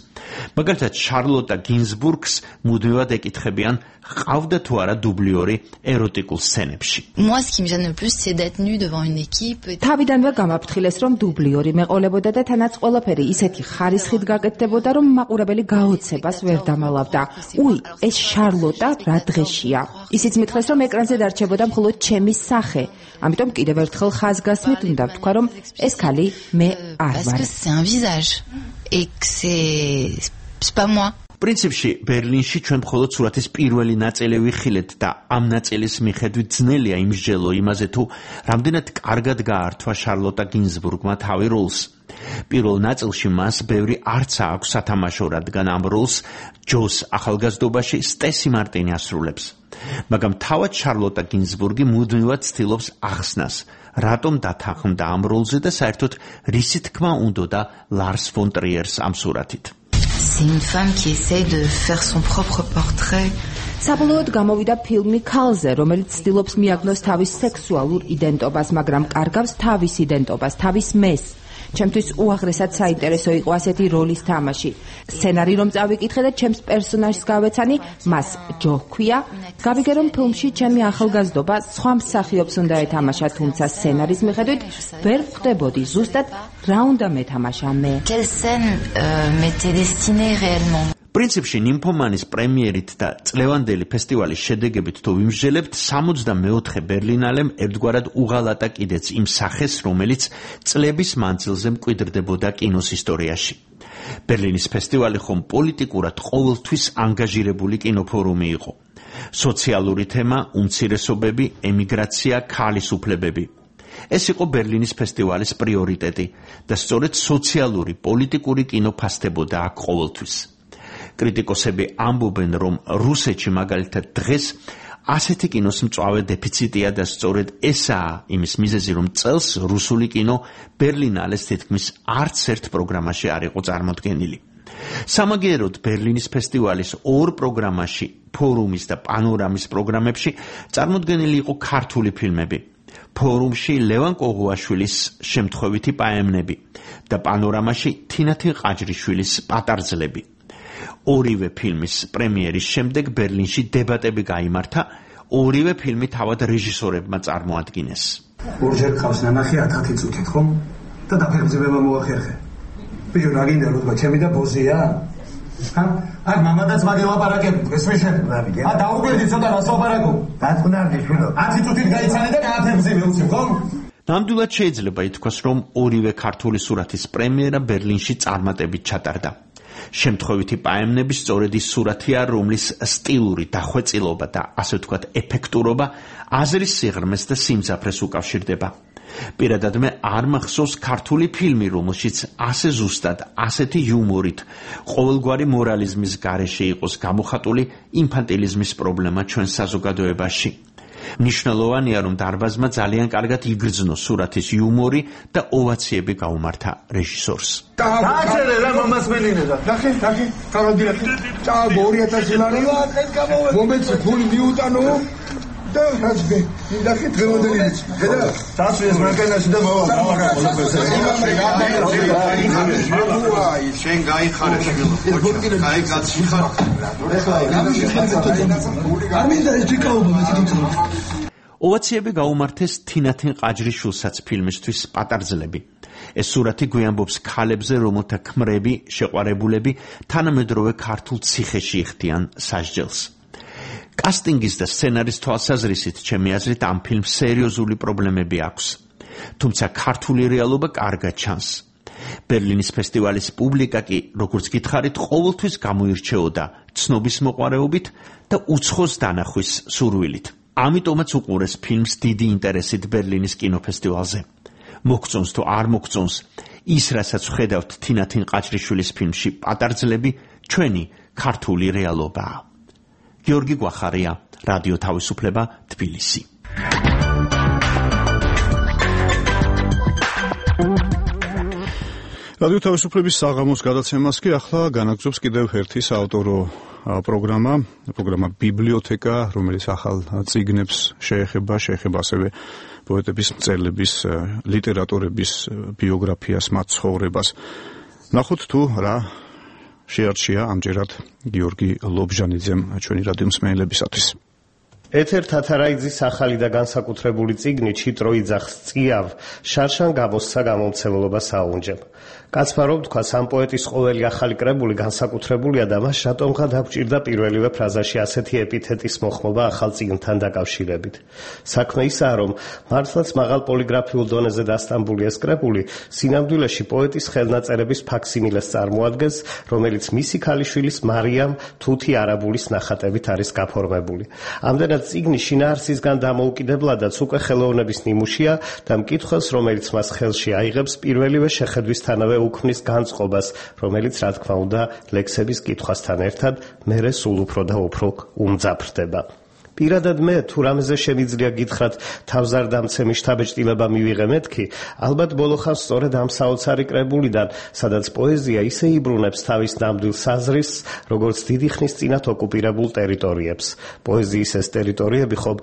მაგალითად, შარლოტა გინზბურგს მუდმივად ეკითხებიან, ყავდა თუ არა დუბლიორი ეროტიკულ სცენებში. თავიდანვე გამაფრთხილეს, რომ დუბლიორი მეყოლებოდა და თანაც ყველაფერი ისეთი ხარისხით გაკეთდებოდა, რომ მაყურებელი გაოცებას ვერ დამალავდა. უი, ეს შარლოტა რა დღეშია. ისიც მითხრეს, რომ ეკრანზე დარჩებოდა მხოლოდ ჩემი სახე. ამიტომ კიდევ ერთხელ ხაზგასმით უნდა ვთქვა, რომ ეს ქალი მე არ ვარ. პრინციპში ბერლინში ჩვენ მხოლოდ სურათის პირველი ნაწილი ვიხილეთ და ამ ნაწილის მიხედვით ძნელია იმსჯელო იმაზე, თუ რამდენად კარგად გაართვა შარლოტა გინზბურგმა თავი როლს. პირველ ნაწილში მას ბევრი არცა აქვს სათამაშო, რადგან ამ როლს ჯოს ახალგაზრდობაში სტესი მარტინი ასრულებს. მაგრამ თავად შარლოტა გინზბურგი მუდმივად ცდილობს ახსნას, რატომ დათანხმდა ამ როლზე და საერთოდ რისი თქმა უნდოდა ლარს ფონ ტრიერს ამ სურათით. საბოლოოდ გამოვიდა ფილმი ქალზე, რომელიც ცდილობს მიაგნოს თავის სექსუალურ იდენტობას, მაგრამ კარგავს თავის იდენტობას, თავის მეს. ჩემთვის უაღრესად საინტერესო იყო ასეთი როლის თამაში. სცენარი რომ წავიკითხე და ჩემს პერსონაჟს გავეცანი, მას ჯო ჰქვია. გავიგე, რომ ფილმში ჩემი ახალგაზრდობა სხვა მსახიობს უნდა ეთამაშა, თუმცა სცენარის მიხედვით ვერ ვხვდებოდი ზუსტად რა უნდა მეთამაშა მე. პრინციპში ნიმფომანის პრემიერით და წლევანდელი ფესტივალის შედეგებით თუ ვიმსჯელებთ, სამოცდამეოთხე ბერლინალემ ერთგვარად უღალატა კიდეც იმ სახეს, რომელიც წლების მანძილზე მკვიდრდებოდა კინოს ისტორიაში. ბერლინის ფესტივალი ხომ პოლიტიკურად ყოველთვის ანგაჟირებული კინოფორუმი იყო. სოციალური თემა, უმცირესობები, ემიგრაცია, ქალის უფლებები. ეს იყო ბერლინის ფესტივალის პრიორიტეტი და სწორედ სოციალური, პოლიტიკური კინო ფასდებოდა აქ ყოველთვის. კრიტიკოსები ამბობენ, რომ რუსეთში მაგალითად დღეს ასეთი კინოს მწვავე დეფიციტია და სწორედ ესაა იმის მიზეზი, რომ წელს რუსული კინო ბერლინალეს თითქმის არც ერთ პროგრამაში არ იყო წარმოდგენილი. სამაგიეროდ ბერლინის ფესტივალის ორ პროგრამაში, ფორუმის და პანორამის პროგრამებში წარმოდგენილი იყო ქართული ფილმები. ფორუმში ლევან კოღუაშვილის შემთხვევითი პაემნები და პანორამაში თინათი ყაჯრიშვილის პატარძლები. ორივე ფილმის პრემიერის შემდეგ ბერლინში დებატები გაიმართა, ორივე ფილმი თავად რეჟისორებმა წარმოადგინეს. ორჯერ ყავს ნანახი ათათი წუთით, ხომ? და დაფეხმძიმება მოახერხე. ბიჭო, რა გინდა რომ თქვა, ჩემი და ბოზია? ჰა? აი, მამადაც მაგე ლაპარაკები, ეს მე შენ. ა დაუგვერდი ცოტა რას ლაპარაკობ? დაწუნარდი შვილო. ათი წუთით გაიცანე და გააფეხმძიმე უცებ, ხომ? ნამდვილად შეიძლება ითქვას, რომ ორივე ქართული სურათის პრემიერა ბერლინში წარმატებით ჩატარდა. შემთხვევითი პაემნები სწორედ ის სურათია, რომლის სტილური დახვეწილობა და ასე ვთქვათ ეფექტურობა აზრის სიღრმეს და სიმძაფრეს უკავშირდება. პირადად მე არ მახსოვს ქართული ფილმი, რომელშიც ასე ზუსტად, ასეთი იუმორით, ყოველგვარი მორალიზმის გარეშე იყოს გამოხატული ინფანტილიზმის პრობლემა ჩვენ საზოგადოებაში. მნიშვნელოვანია, რომ დარბაზმა ძალიან კარგად იგრძნო სურათის იუმორი და ოვაციები გაუმართა რეჟისორს. დააწერე რა მამას მელინედა. ნახე, ნახე, კაროდიახი. წააგო ორი ათასი ლარი. მომეცი ფული მიუტანო. და რაზმე, ნახე დღევანდელი. ხედა, დასვეს მანქანაში და მოვა. აი, შენ გაიხარე შეგელო. აი, გაციხარ. არ მინდა ეს დიკაობა მეთქი. ოვაციები გაუმართეს თინათინ ყაჯრიშვილსაც ფილმისთვის პატარძლები. ეს სურათი გვიანბობს ქალებზე, რომელთა ქმრები, შეყვარებულები თანამედროვე ქართულ ციხეში იხდიან სასჯელს. კასტინგის და სცენარის თვალსაზრისით ჩემი აზრით ამ ფილმს სერიოზული პრობლემები აქვს. თუმცა ქართული რეალობა კარგად ჩანს. ბერლინის ფესტივალის პუბლიკა კი, როგორც გითხარით, ყოველთვის გამოირჩეოდა ცნობის მოყვარეობით და უცხოს დანახვის სურვილით. ამიტომაც უყურეს ფილმს დიდი ინტერესით ბერლინის კინოფესტივალზე. მოგწონს თუ არ მოგწონს, ის რასაც ვხედავთ თინათინ ყაჯრიშვილის ფილმში პატარძლები, ჩვენი ქართული რეალობაა. გიორგი გვახარია, რადიო თავისუფლება, თბილისი. რადიო თავისუფლების საღამოს გადაცემას კი ახლა განაგრძობს კიდევ ერთი საავტორო პროგრამა, პროგრამა ბიბლიოთეკა, რომელიც ახალ წიგნებს შეეხება, შეეხება ასევე პოეტების, მწერლების, ლიტერატორების ბიოგრაფიას, მათ ცხოვრებას. ნახოთ თუ რა შეარჩია ამჯერად გიორგი ლობჟანიძემ ჩვენი რადიო მსმენელებისათვის. ეთერ თათარაიძის ახალი და განსაკუთრებული წიგნი ჩიტრო იძახს წიავ შარშან გამოსცა გამომცემლობა საუნჯემ. კაცმა რომ თქვა, ამ პოეტის ყოველი ახალი კრებული განსაკუთრებულია და მას შატომღა დაგჭირდა პირველივე ფრაზაში ასეთი ეპითეტის მოხმობა ახალ წიგნთან დაკავშირებით. საქმე ისაა, რომ მართლაც მაღალ პოლიგრაფიულ დონეზე დასტამბული ეს კრებული სინამდვილეში პოეტის ხელნაწერების ფაქსიმილეს წარმოადგენს, რომელიც მისი ქალიშვილის მარიამ თუთი არაბულის ნახატებით არის გაფორმებული. ამდენად წიგნი შინაარსისგან დამოუკიდებლადაც უკვე ხელოვნების ნიმუშია და მკითხველს, რომელიც მას ხელში აიღებს, პირველივე შეხედვისთანავე უქმნის განწყობას, რომელიც რა თქმა უნდა ლექსების კითხვასთან ერთად მერე სულ უფრო და უფრო უმძაფრდება. პირადად მე თუ რამეზე შემიძლია გითხრათ თავზარდამცემი შთაბეჭდილება მივიღე მეთქი, ალბათ ბოლოხავს სწორედ ამ საოცარი კრებულიდან, სადაც პოეზია ისე იბრუნებს თავის ნამდვილ საზრისს, როგორც დიდი ხნის წინათ ოკუპირებულ ტერიტორიებს. პოეზიის ეს ტერიტორიები ხომ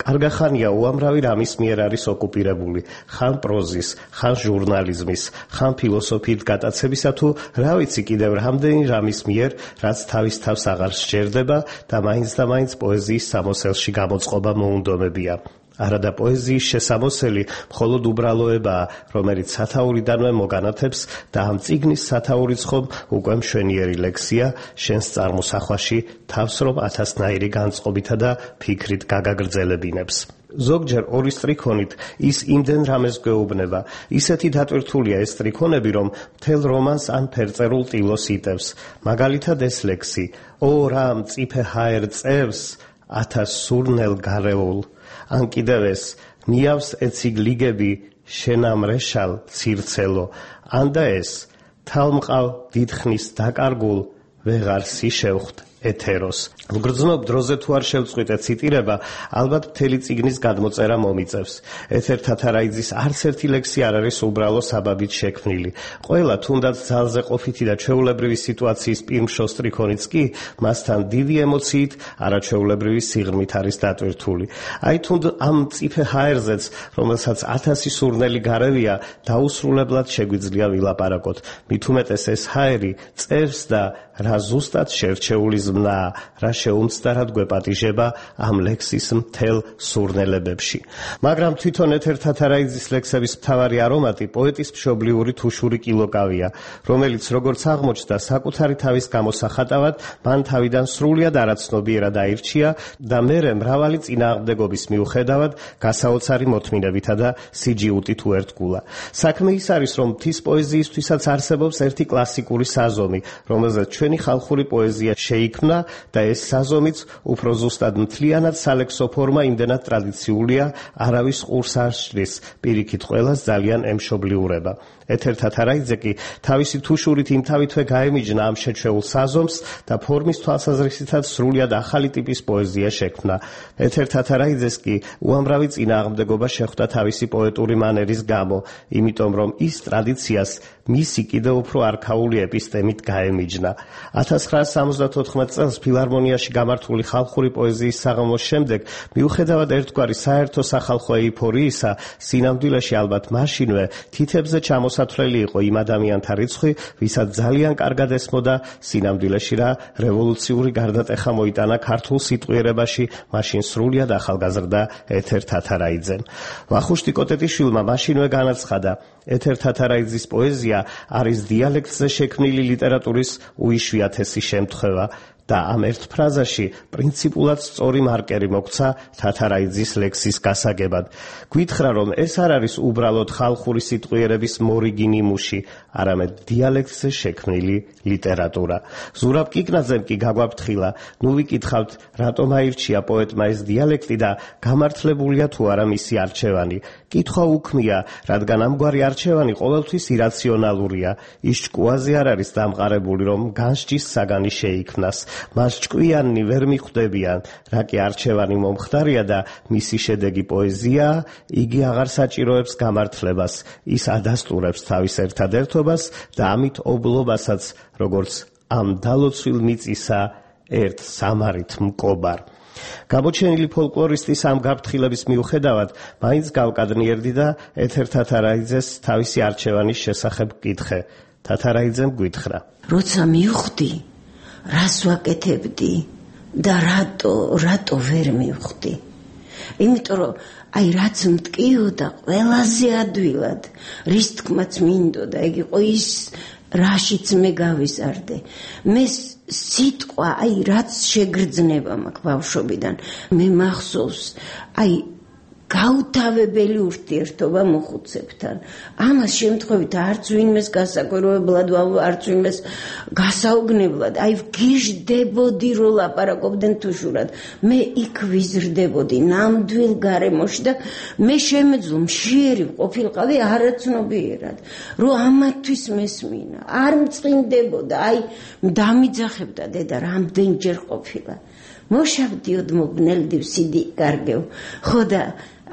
კარგახანია უამრავი რამის მიერ არის ოკუპირებული, ხან პროზის, ხან ჟურნალიზმის, ხან ფილოსოფიით გატაცებისა თუ რა ვიცი კიდევ რამდენი რამის მიერ, რაც თავის თავს აღარ სჯერდება და მაინც და მაინც პოეზიის სამოსელში გამოწყობა მოუნდომებია. არადა პოეზიის შესამოსელი მხოლოდ უბრალოებაა, რომელიც სათაურიდანვე მოგანათებს და ამ წიგნის სათაურიც ხომ უკვე მშვენიერი ლექსია, შენს წარმოსახვაში თავს რომ ათასნაირი განწყობითა და ფიქრით გაგაგრძელებინებს. ზოგჯერ ორი სტრიქონით ის იმდენ რამეს გვეუბნება, ისეთი დატვირთულია ეს სტრიქონები, რომ მთელ რომანს ან ფერწერულ ტილოს იტევს. მაგალითად ეს ლექსი: ო რა მწიფე ჰაერ წერს ათას სურნელ გარეულ. ან კიდევ ეს ნიავს ეციგლიგები შენამრეშალ ცირცელო, ან და ეს თალმყავ დიდხნის დაკარგულ ვეღარ სიშევხთ ეთეროს. გრძნობ დროზე თუ არ შევწყვიტე ციტირება, ალბათ მთელი წიგნის გადმოწერა მომიწევს. ეთერ თათარაიძის არც ერთი ლექსი არ არის უბრალო საბაბით შექმნილი. ყველა თუნდაც ძალზე ყოფითი და ჩვეულებრივი სიტუაციის პირმშო სტრიქონიც კი მასთან დიდი ემოციით, არაჩვეულებრივი სიღრმით არის დატვირთული. აი თუნდ ამ მწიფე ჰაერზეც, რომელსაც ათასი სურნელი გარევია, დაუსრულებლად შეგვიძლია ვილაპარაკოთ. მით უმეტეს ეს ჰაერი წერს და რა ზუსტად შერჩეული ზმნაა, რა შეუმცდარად გვეპატიჟება ამ ლექსის მთელ სურნელებებში. მაგრამ თვითონ ეთერ თათარაიძის ლექსების მთავარი არომატი პოეტის მშობლიური თუშური კილოკავია, რომელიც როგორც აღმოჩნდა საკუთარი თავის გამოსახატავად, მან თავიდან სრულიად არაცნობიერად აირჩია და მერე მრავალი წინააღმდეგობის მიუხედავად გასაოცარი მოთმინებითა და სიჯიუტით უერთგულა. საქმე ის არის, რომ მთის პოეზიისთვისაც არსებობს ერთი კლასიკური საზომი, რომელზეც ჩვენი ხალხური პოეზია შეიქმნა და ეს საზომიც უფრო ზუსტად მთლიანად სალექსო ფორმა იმდენად ტრადიციულია, არავის ყურს არ სჭრის, პირიქით ყველას ძალიან ემშობლიურება. ეთერ თათარაიძე კი თავისი თუშურით იმთავითვე გაემიჯნა ამ შეჩვეულ საზომს და ფორმის თვალსაზრისითაც სრულიად ახალი ტიპის პოეზია შექმნა. ეთერ თათარაიძეს კი უამრავი წინააღმდეგობა შეხვდა თავისი პოეტური მანერის გამო, იმიტომ რომ ის ტრადიციას მისი კიდევ უფრო არქაული ეპისტემით გაემიჯნა. ათას ცხრაასი სამოცდათოთხმეტ წელს ფილარმონიაში გამართული ხალხური პოეზიის საღამოს შემდეგ, მიუხედავად ერთგვარი საერთო სახალხო ეიფორიისა, სინამდვილეში ალბათ მაშინვე თითებზე ჩამოსათვლელი იყო იმ ადამიანთა რიცხვი, ვისაც ძალიან კარგად ესმოდა სინამდვილეში რა რევოლუციური გარდატეხა მოიტანა ქართულ სიტყვიერებაში მაშინ სრულიად ახალგაზრდა ეთერ თათარაიძემ. ვახუშტი კოტეტიშვილმა მაშინვე განაცხადა, ეთერ თათარაიძის პოეზია არის დიალექტზე შექმნილი ლიტერატურის უიშვიათესი შემთხვევა და ამ ერთ ფრაზაში პრინციპულად სწორი მარკერი მოქცა თათარაიძის ლექსის გასაგებად. გვითხრა, რომ ეს არ არის უბრალოდ ხალხური სიტყვიერების მორიგი ნიმუში, არამედ დიალექტზე შექმნილი ლიტერატურა. ზურაბ კიკნაძემ კი გაგვაფრთხილა, ნუ ვიკითხავთ, რატომ აირჩია პოეტმა ეს დიალექტი და გამართლებულია თუ არა მისი არჩევანი. კითხვა უქმია, რადგან ამგვარი არჩევანი ყოველთვის ირაციონალურია. ის ჭკუაზე არ არის დამყარებული, რომ განსჯის საგანი შეიქმნას. მას ჭკვიანნი ვერ მიხვდებიან, რა კი არჩევანი მომხდარია და მისი შედეგი პოეზიაა, იგი აღარ საჭიროებს გამართლებას, ის ადასტურებს თავის ერთადერთობას და ამით ობლობასაც, როგორც ამ დალოცვილ მიწისა ერთ სამარით მკობარ. გამოჩენილი ფოლკლორისტის ამ გაფრთხილების მიუხედავად, მაინც გავკადნიერდი და ეთერ თათარაიძეს თავისი არჩევანის შესახებ გკითხე. თათარაიძემ გვითხრა, როცა მივხვდი, რას ვაკეთებდი და რატო, რატო ვერ მივხვდი. იმიტომ რომ აი რაც მტკიოდა ყველაზე ადვილად, რის თქმაც მინდოდა, იგი იყო ის რაშიც მე გავიზარდე. მე სიტყვა, აი რაც შეგრძნება მაქვს ბავშვობიდან, მე მახსოვს, აი გაუთავებელი ურთიერთობა მოხუცებთან. ამას შემთხვევით არც ვინმეს გასაკვირვებლად, არც ვინმეს გასაუგნებლად, აი ვგიჟდებოდი რო ლაპარაკობდნენ თუშურად. მე იქ ვიზრდებოდი ნამდვილ გარემოში და მე შემეძლო მშიერი ყოფილიყავი არაცნობიერად, რო ამათვის მესმინა, არ მწყინდებოდა, აი დამიძახებდა დედა რამდენჯერ ყოფილა. მოშავდიოდ მოგნელდივ სიდი კარგევ, ხო და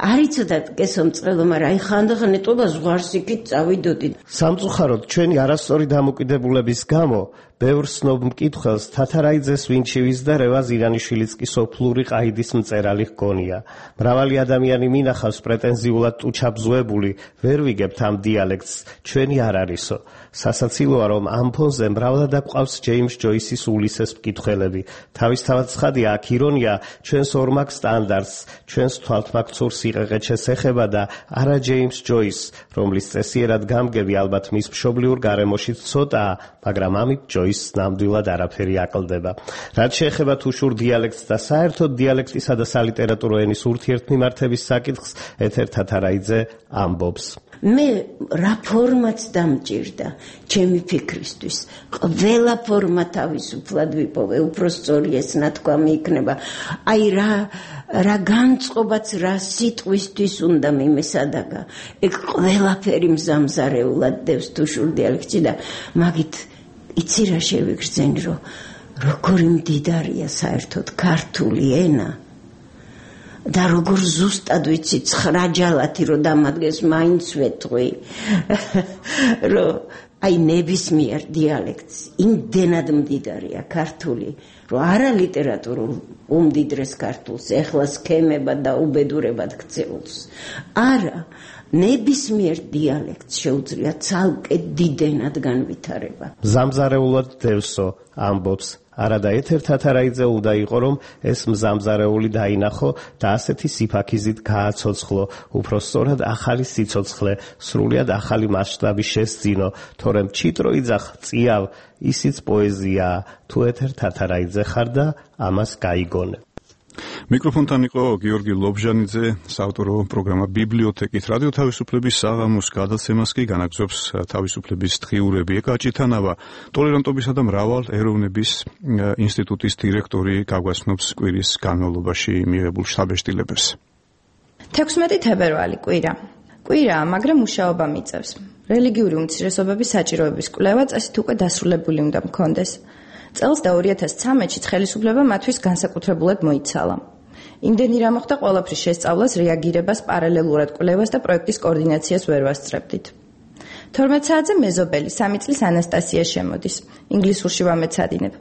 არიცოდათ კესომწყელო, მაგრამ აი ხანდახან ეტყობა ზღვარს იქით წავიდოდი. სამწუხაროდ ჩვენი არასწორი დამოკიდებულების გამო ბევრ სნობ მკითხველს თათარაიძეს ვინჩივის და რევაზ ირანიშვილიც კი სოფლური ყაიდის მწერალი ჰგონია. მრავალი ადამიანი მინახავს პრეტენზიულად ტუჩაბზუებული, ვერ ვიგებთ ამ დიალექტს, ჩვენი არ არისო. სასაცილოა, რომ ამ ფონზე მრავლად აყვავს ჯეიმს ჯოისის ულისეს მკითხველები. თავისთავად ცხადია, აქ ირონია ჩვენს ორმაგ სტანდარტს, ჩვენს თვალთმაქცურ სიყეყეჩეს ეხება და არა ჯეიმს ჯოისს, რომლის წესიერად გამგები ალბათ მის მშობლიურ გარემოში ცოტაა, მაგრამ ამით ჯოისს ნამდვილად არაფერი აკლდება. რაც შეეხება თუშურ დიალექტს და საერთოდ დიალექტისა და სალიტერატურო ენის ურთიერთმიმართების საკითხს, ეთერ თათარაიძე ამბობს. მე რა ფორმაც დამჭირდა ჩემი ფიქრისთვის. ყველა ფორმა თავისუფლად ვიპოვე, უფრო სწორი ეს ნათქვამი იქნება. აი რა რა განწყობაც რა სიტყვისთვის უნდა მიმესადაგა. ეგ ყველაფერი მზამზარეულად დევს თუშურ დიალექტში და მაგით იცი რა შევიგრძენი, რომ როგორი მდიდარია საერთოდ ქართული ენა. და როგორ ზუსტად ვიცი ცხრა ჯალათი რო დამადგეს მაინც ვეთყვი რომ აი ნებისმიერ დიალექტს იმდენად მდიდარია ქართული რომ არა ლიტერატურულ უმდიდრეს ქართულს ეხლა სქემებად და უბედურებად ქცეულს არა ნებისმიერ დიალექტს შეუძლია ცალკე დიდენად განვითარება. მზამზარეულად დევსო ამბობს არადა ეთერ თათარაიძე უნდა იყო, რომ ეს მზამზარეული დაინახო და ასეთი სიფაქიზით გააცოცხლო, უფრო სწორად ახალი სიცოცხლე, სრულიად ახალი მასშტაბი შესძინო, თორემ ჩიტრო იძახ წიავ, ისიც პოეზიაა, თუ ეთერ თათარაიძე ხარ და ამას გაიგონე. მიკროფონთან იყო გიორგი ლობჟანიძე, საავტორო პროგრამა ბიბლიოთეკით. რადიო თავისუფლების საღამოს გადაცემას კი განაგრძობს თავისუფლების დღიურები. ეკაჭითანავა ტოლერანტობისა და მრავალ ეროვნების ინსტიტუტის დირექტორი გაგვაცნობს კვირის განმავლობაში მიღებულ შთაბეჭდილებებს. თექვსმეტი თებერვალი კვირა. კვირაა, მაგრამ მუშაობა მიწევს. რელიგიური უმცირესობების საჭიროების კვლევა წესით უკვე დასრულებული უნდა მქონდეს. წელს და ორი ათას ცხრამეტში ხელისუფლება მათთვის განსაკუთრებულად მოიცალა. იმდენი რა მოხდა ყველაფრის შესწავლას, რეაგირებას, პარალელურად კვლევას და პროექტის კოორდინაციას ვერ ვასწრებდით. თორმეტ საათზე მეზობელი სამი წლის ანასტასია შემოდის. ინგლისურში ვამეცადინებ.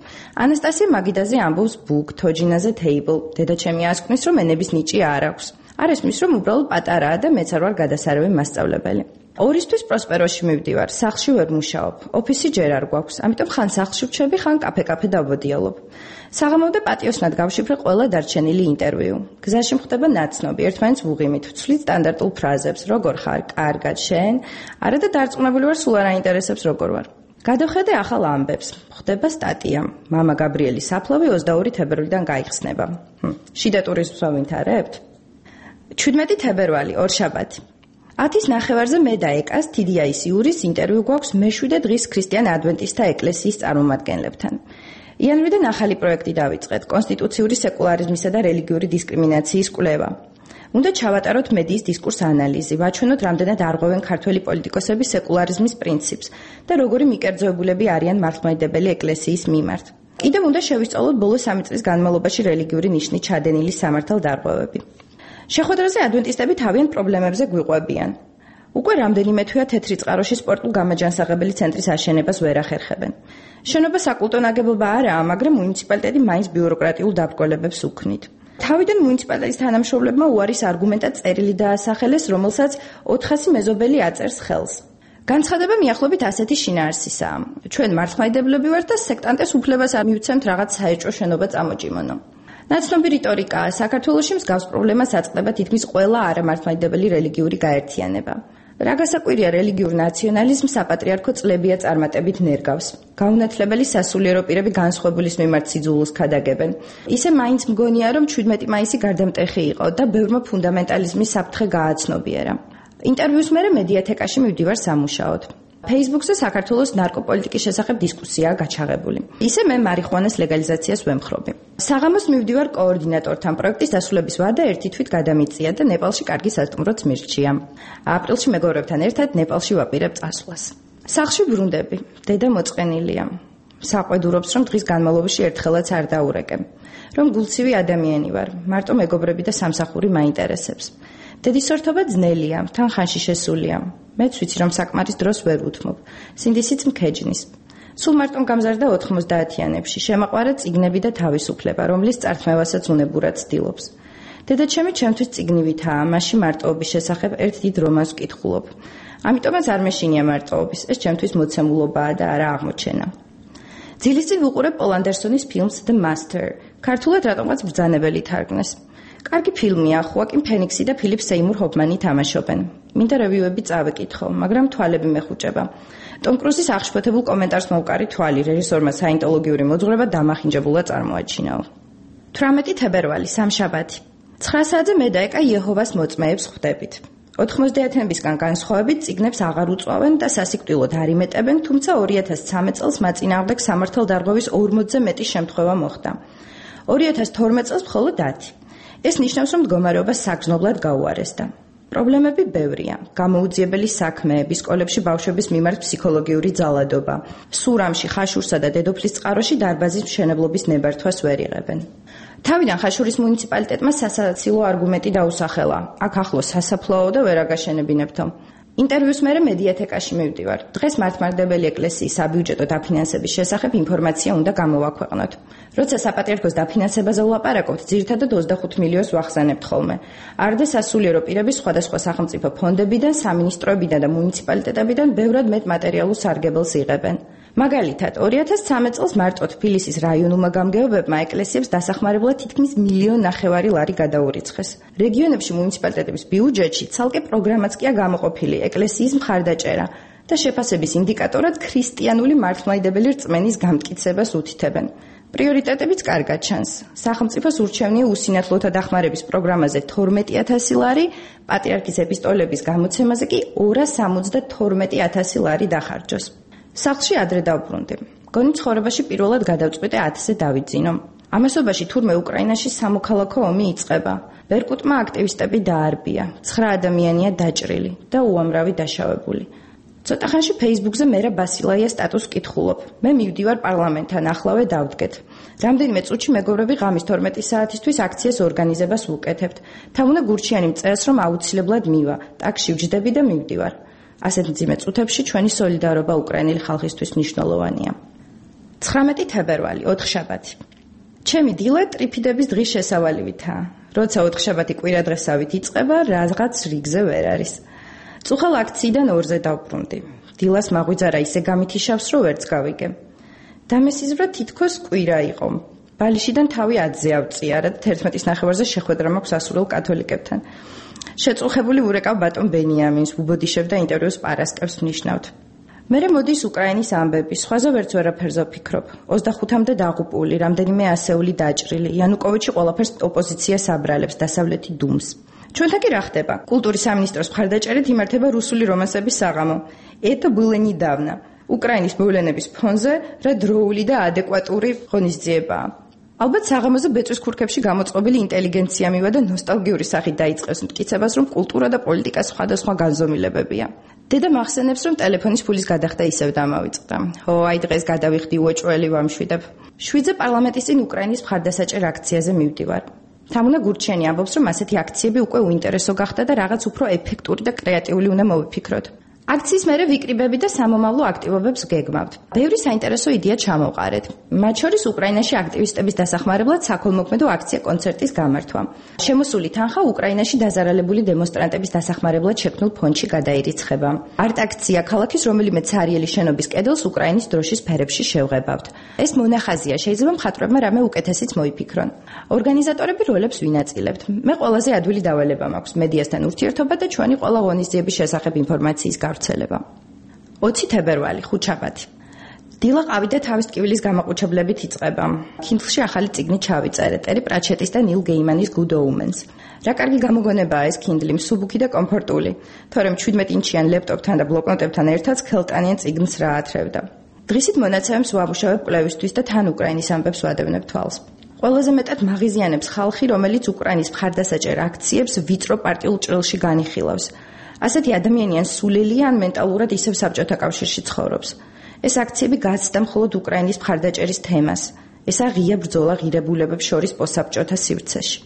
ანასტასია მაგიდაზე ამბობს book, თოჯინაზე table. დედაჩემი ასკვნის, რომ ენების ნიჭი არ აქვს. არ ესმის, რომ უბრალოდ პატარაა და მეც არ ვარ გადასარევი მასწავლებელი. ორისთვის პროსპეროში მივდივარ, სახლში ვერ მუშაობ, ოფისი ჯერ არ გვაქვს, ამიტომ ხან სახლში ვჩები, ხან კაფე-კაფე დავბოდიალობ. საღამოვდა პატიოსნად გავშიფრე ყველა დარჩენილი ინტერვიუ. გზაში მხდება ნაცნობი, ერთმანეთს ვუღიმით, ვცვლით სტანდარტულ ფრაზებს, როგორ ხარ, კარგად, შენ? არა და დარწმუნებული ვარ, სულ არ აინტერესებს როგორ ვარ. გადავხედე ახალ ამბებს. ხდება სტატია. მამა გაბრიელი საფლავი ოცდაორი თებერვლიდან გაიხსნება. შიდა ტურიზმს ვავითარებთ? ჩვიდმეტი თებერვალი, ორშაბათი. ათის ნახევარზე მე და ეკას თიდიაის იურის ინტერვიუ გვაქვს მეშვიდე დღის ქრისტიან ადვენტისტთა ეკლესიის წარმომადგენლებთან. იანვრიდან ახალი პროექტი დავიწყეთ, კონსტიტუციური სეკულარიზმისა და რელიგიური დისკრიმინაციის კვლევა. უნდა ჩავატაროთ მედიის დისკურს ანალიზი, ვაჩვენოთ რამდენად არღვევენ ქართველი პოლიტიკოსები სეკულარიზმის პრინციპს და როგორი მიკერძოებულები არიან მართლმადიდებელი ეკლესიის მიმართ. კიდევ უნდა შევისწავლოთ ბოლო სამი წლის განმავლობაში რელიგიური ნიშნით ჩადენილი სამართალდარღვევები. შეხვედრაზე ადვენტისტები თავიანთ პრობლემებზე გვიყვებიან. უკვე რამდენიმე თვეა თეთრი წყაროში სპორტულ გამაჯანსაღებელი ცენტრის აშენებას ვერ ახერხებენ. შენობა საკულტო ნაგებობა არაა, მაგრამ მუნიციპალიტეტი მაინც ბიუროკრატიულ დაბრკოლებებს უქმნით. თავიდან მუნიციპალიტეტის თანამშრომლებმა უარის არგუმენტად წერილი დაასახელეს, რომელსაც ოთხასი მეზობელი აწერს ხელს. განცხადება მიახლოებით ასეთი შინაარსისაა. ჩვენ მართლმადიდებლები ვართ და სექტანტეს უფლებას ამივცემთ რაღაც საეჭვო შენობა წამოჭიმონო. ნაცნობი რიტორიკაა, საქართველოში მსგავს პრობლემას აწყდება თითქმის ყველა არამართლმადიდებელი რელიგიური გაერთიანება. რა გასაკვირია, რელიგიურ ნაციონალიზმს საპატრიარქო წლებია წარმატებით ნერგავს. გაუნათლებელი სასულიერო პირები განსხვავებულის მიმართ სიძულვილს ქადაგებენ. ისე მაინც მგონია, რომ ჩვიდმეტი მაისი გარდამტეხი იყო და ბევრმა ფუნდამენტალიზმის საფრთხე გააცნობიერა. ინტერვიუს მერე მედიათეკაში მივდივარ სამუშაოდ. Facebook-ზე საქართველოს ნარკოპოლიტიკის შესახებ დისკუსიაა გაჩაღებული. ისე მე მარიხუანას ლეგალიზაციას ვემხრობი. საღამოს მივდივარ კოორდინატორთან, პროექტის დასრულების ვადა ერთი თვით გადამიწია და ნეპალში კარგი სასტუმროც მირჩია. აპრილში მეგობრებთან ერთად ნეპალში ვაპირებ წასვლას. სახლში ბრუნდები, დედა მოწყენილია. საყვედურობს, რომ დღის განმავლობაში ერთხელაც არ დაურეკებ. რომ გულცივი ადამიანი ვარ, მარტო მეგობრები და სამსახური მაინტერესებს. დედის სორთობა ძნელია, თან ხანში შესულია. მეც ვიცი, რომ საკმარის დროს ვერ უთმობ. სინდისიც მქეჯნის. სულ მარტომ გამზარდა ოთხმოცდაათიანებში, შემაყვარა წიგნები და თავისუფლება, რომლის წართმევასაც უნებურად ცდილობს. დედაჩემი ჩემთვის წიგნივითაა, მასში მარტოობის შესახებ ერთ დიდ რომანს ვკითხულობ. ამიტომაც არ მეშინია მარტოობის, ეს ჩემთვის მოცემულობაა და არა აღმოჩენა. ძილისწინ ვუყურებ პოლ ანდერსონის ფილმს The Master. ქართულად რატომღაც ბრძანებელი თარგმნეს. კარგი ფილმია, ხუაკინ ფენიქსი და ფილიპ სეიმურ ჰოფმანი თამაშობენ. მინდა რევიუები წავეკითხო, მაგრამ თვალები მეხუჭება. ტომ კრუზის აღშფოთებულ კომენტარს მოვკარი თვალი, რეჟისორმა საინტოლოგიური მოძღვრება დამახინჯებულად წარმოაჩინაო. თვრამეტი თებერვალი, სამშაბათი. ცხრა საათზე მე და ეკა იეჰოვას მოწმეებს ხვდებით. ოთხმოცდაათიანებისგან განსხვავებით წიგნებს აღარ უწვავენ და სასიკვდილოდ არ იმეტებენ, თუმცა ორი ათას ცხრამეტ წელს მაწინააღმდეგ სამართალდარღვევის ორმოცზე მეტი შემთხვევა მოხდა. ორი ათას თორმეტ წელს მხოლოდ ათი. ეს ნიშნავს, რომ მდგომარეობა საგრძნობლად გაუარესდა. პრობლემები ბევრია. გამოუძიებელი საქმეები, სკოლებში ბავშვების მიმართ ფსიქოლოგიური ძალადობა. სურამში, ხაშურსა და დედოფლის წყაროში დარბაზის მშენებლობის ნებართვას ვერ იღებენ. თავიდან ხაშურის მუნიციპალიტეტმა სასაცილო არგუმენტი დაუსახელა. აქ ახლოს სასაფლაო და ვერ აგაშენებინებთო. ინტერვიუს მერე მედიათეკაში მივდივარ. დღეს მართლმადიდებელი ეკლესიის საბიუჯეტო დაფინანსების შესახებ ინფორმაცია უნდა გამოვაქვეყნოთ. როცა საპატრიარქოს დაფინანსებაზე ვლაპარაკობთ, ძირითადად ოცდახუთ მილიონს ვახსენებთ ხოლმე. არდა სასულიერო პირების სხვადასხვა სახელმწიფო ფონდებიდან, სამინისტროებიდან და მუნიციპალიტეტებიდან ბევრად მეტ მატერიალურ სარგებელს იღებენ. მაგალითად, ორი ათას ცხრამეტ წელს მარტო თბილისის რაიონულმა გამგეობებმა ეკლესიებს დასახმარებლად თითქმის მილიონ ნახევარი ლარი გადაურიცხეს. რეგიონებში მუნიციპალიტეტების ბიუჯეტში ცალკე პროგრამაც კია გამოყოფილი ეკლესიის მხარდაჭერა და შეფასების ინდიკატორად ქრისტიანული მართლმადიდებელი რწმენის გამტკიცებას უთითებენ. პრიორიტეტებიც კარგად ჩანს. სახელმწიფოს ურჩევნია უსინათლოთა დახმარების პროგრამაზე თორმეტი ათასი ლარი, პატრიარქის ეპისტოლების გამოცემაზე კი ორას სამოცდათორმეტი ათასი ლარი დახარჯოს. სახლში ადრე დავბრუნდი. გონი ცხოვრებაში პირველად გადავწყვიტე ათზე დავიძინო. ამასობაში თურმე უკრაინაში სამოქალაქო ომი იწყება. ბერკუტმა აქტივისტები დაარბია. ცხრა ადამიანია დაჭრილი და უამრავი დაშავებული. ცოტა ხანში Facebook-ზე მერა ბასილაიას სტატუსს კითხულობ. მე მივდივარ პარლამენტთან, ახლავე დავდგეთ. რამდენიმე წუთში მეგობრები ღამის თორმეტი საათისთვის აქციას ორგანიზებას ვუკეთებთ. თამუნა გურჩიანი მწერს, რომ აუცილებლად მივა. ტაქსში ვჯდები და მივდივარ. ასეთ მძიმე წუთებში ჩვენი სოლიდარობა უკრაინელი ხალხისთვის მნიშვნელოვანია. ცხრამეტი თებერვალი, ოთხშაბათი. ჩემი დილა ტრიფიდების დღის შესავალივითაა. როცა ოთხშაბათი კვირადღესავით იწყება, რაღაც რიგზე ვერ არის. წუხელ აქციიდან ორზე დავბრუნდი. დილას მაღვიძარა ისე გამithიშავს, რომ ვერც გავიგე. დამესიზრა თითქოს კვირა იყო. ბალიშიდან თავი ათზე ავწიარა და თერთმეტის ნახევარზე შეხვედრა მაქვს ასურელ კათოლიკებთან. შეწუხებული ვურეკავ ბატონ ბენიამინს, უბოდიშებ და ინტერვიუს პარასკევს ვნიშნავთ. მერე მოდის უკრაინის ამბები, სხვაზე ვერც ვერაფერზე ვფიქრობ. ოცდახუთამდე დაღუპული, რამდენიმე ასეული დაჭრილი, იანუკოვიჩი ყველაფერს ოპოზიციას აბრალებს, დასავლეთი დუმს. ჩვენთან კი რა ხდება? კულტურის სამინისტროს მხარდაჭერით იმართება რუსული რომანსების საღამო. Это было недавно. უკრაინის მოვლენების ფონზე რა დროული და ადეკვატური ღონისძიებაა. ალბათ საღამოზე ბეწვის ქურქებში გამოწყობილი ინტელიგენცია მივა და ნოსტალგიური სახით დაიწყებს მტკიცებას, რომ კულტურა და პოლიტიკა სხვადასხვა განზომილებებია. დედა მახსენებს, რომ ტელეფონის ფულის გადახდა ისევ დამავიწყდა. ო, აი დღეს გადავიხდი უეჭველი ვამშვიდებ. შვიდზე პარლამენტის წინ უკრაინის მხარდასაჭერ აქციაზე მივდივარ. თამუნა გურჩიანი ამბობს, რომ ასეთი აქციები უკვე უინტერესო გახდა და რაღაც უფრო ეფექტური და კრეატიული უნდა მოვიფიქროთ. აქციის მერე ვიკრიბები და სამომავლო აქტივობებს გეგმავთ. ბევრი საინტერესო იდეა ჩამოვყარეთ. მათ შორის უკრაინაში აქტივისტების დასახმარებლად საქველმოქმედო აქცია კონცერტის გამართვა. შემოსული თანხა უკრაინაში დაზარალებული დემონსტრანტების დასახმარებლად შექმნილ ფონდში გადაირიცხება. არტ-აქცია ქალაქის რომელიმე ცარიელი შენობის კედელს უკრაინის დროშის ფერებში შევღებავთ. ეს მონახაზია, შეიძლება მხატვრებმა რამე უკეთესიც მოიფიქრონ. ორგანიზატორები როლებს ვინაწილებთ. მე ყველაზე ადვილი დავალება მაქვს მედიასთან ურთიერთობა და ჩვენი ყველა ღონისძიების შესახებ ინფორმაციის გავრცელება. ოცი თებერვალი, ხუთშაბათი. დილა ყავი და თავის ტკივილის გამაყუჩებლებით იწყება. Kindle-ში ახალი წიგნი ჩავიწერე, ტერი პრაჩეტის და ნილ გეიმანის Good Omens. რა კარგი გამოგონებაა ეს Kindle, მსუბუქი და კომფორტული. თორემ შვიდმეტ ინჩიან ლეპტოპთან და ბლოკნოტებთან ერთად ხელტანიან წიგნს რა ათრევდა. დღისით მონაცემებს ვამუშავებ კვლევისთვის და თან უკრაინის ამბებს ვადევნებ თვალს. ყველაზე მეტად მაღიზიანებს ხალხი, რომელიც უკრაინის მხარდასაჭერ აქციებს ვიწრო პარტიულ ჭრილში განიხილავს. ასეთი ადამიანიან სულელი ან მენტალურად ისევ საბჭოთა კავშირში ცხოვრობს. ეს აქციები გაცდა მხოლოდ უკრაინის მხარდაჭერის თემას. ესა ღია ბრძოლა ღირებულებებს შორის პოსტსაბჭოთა სივრცეში.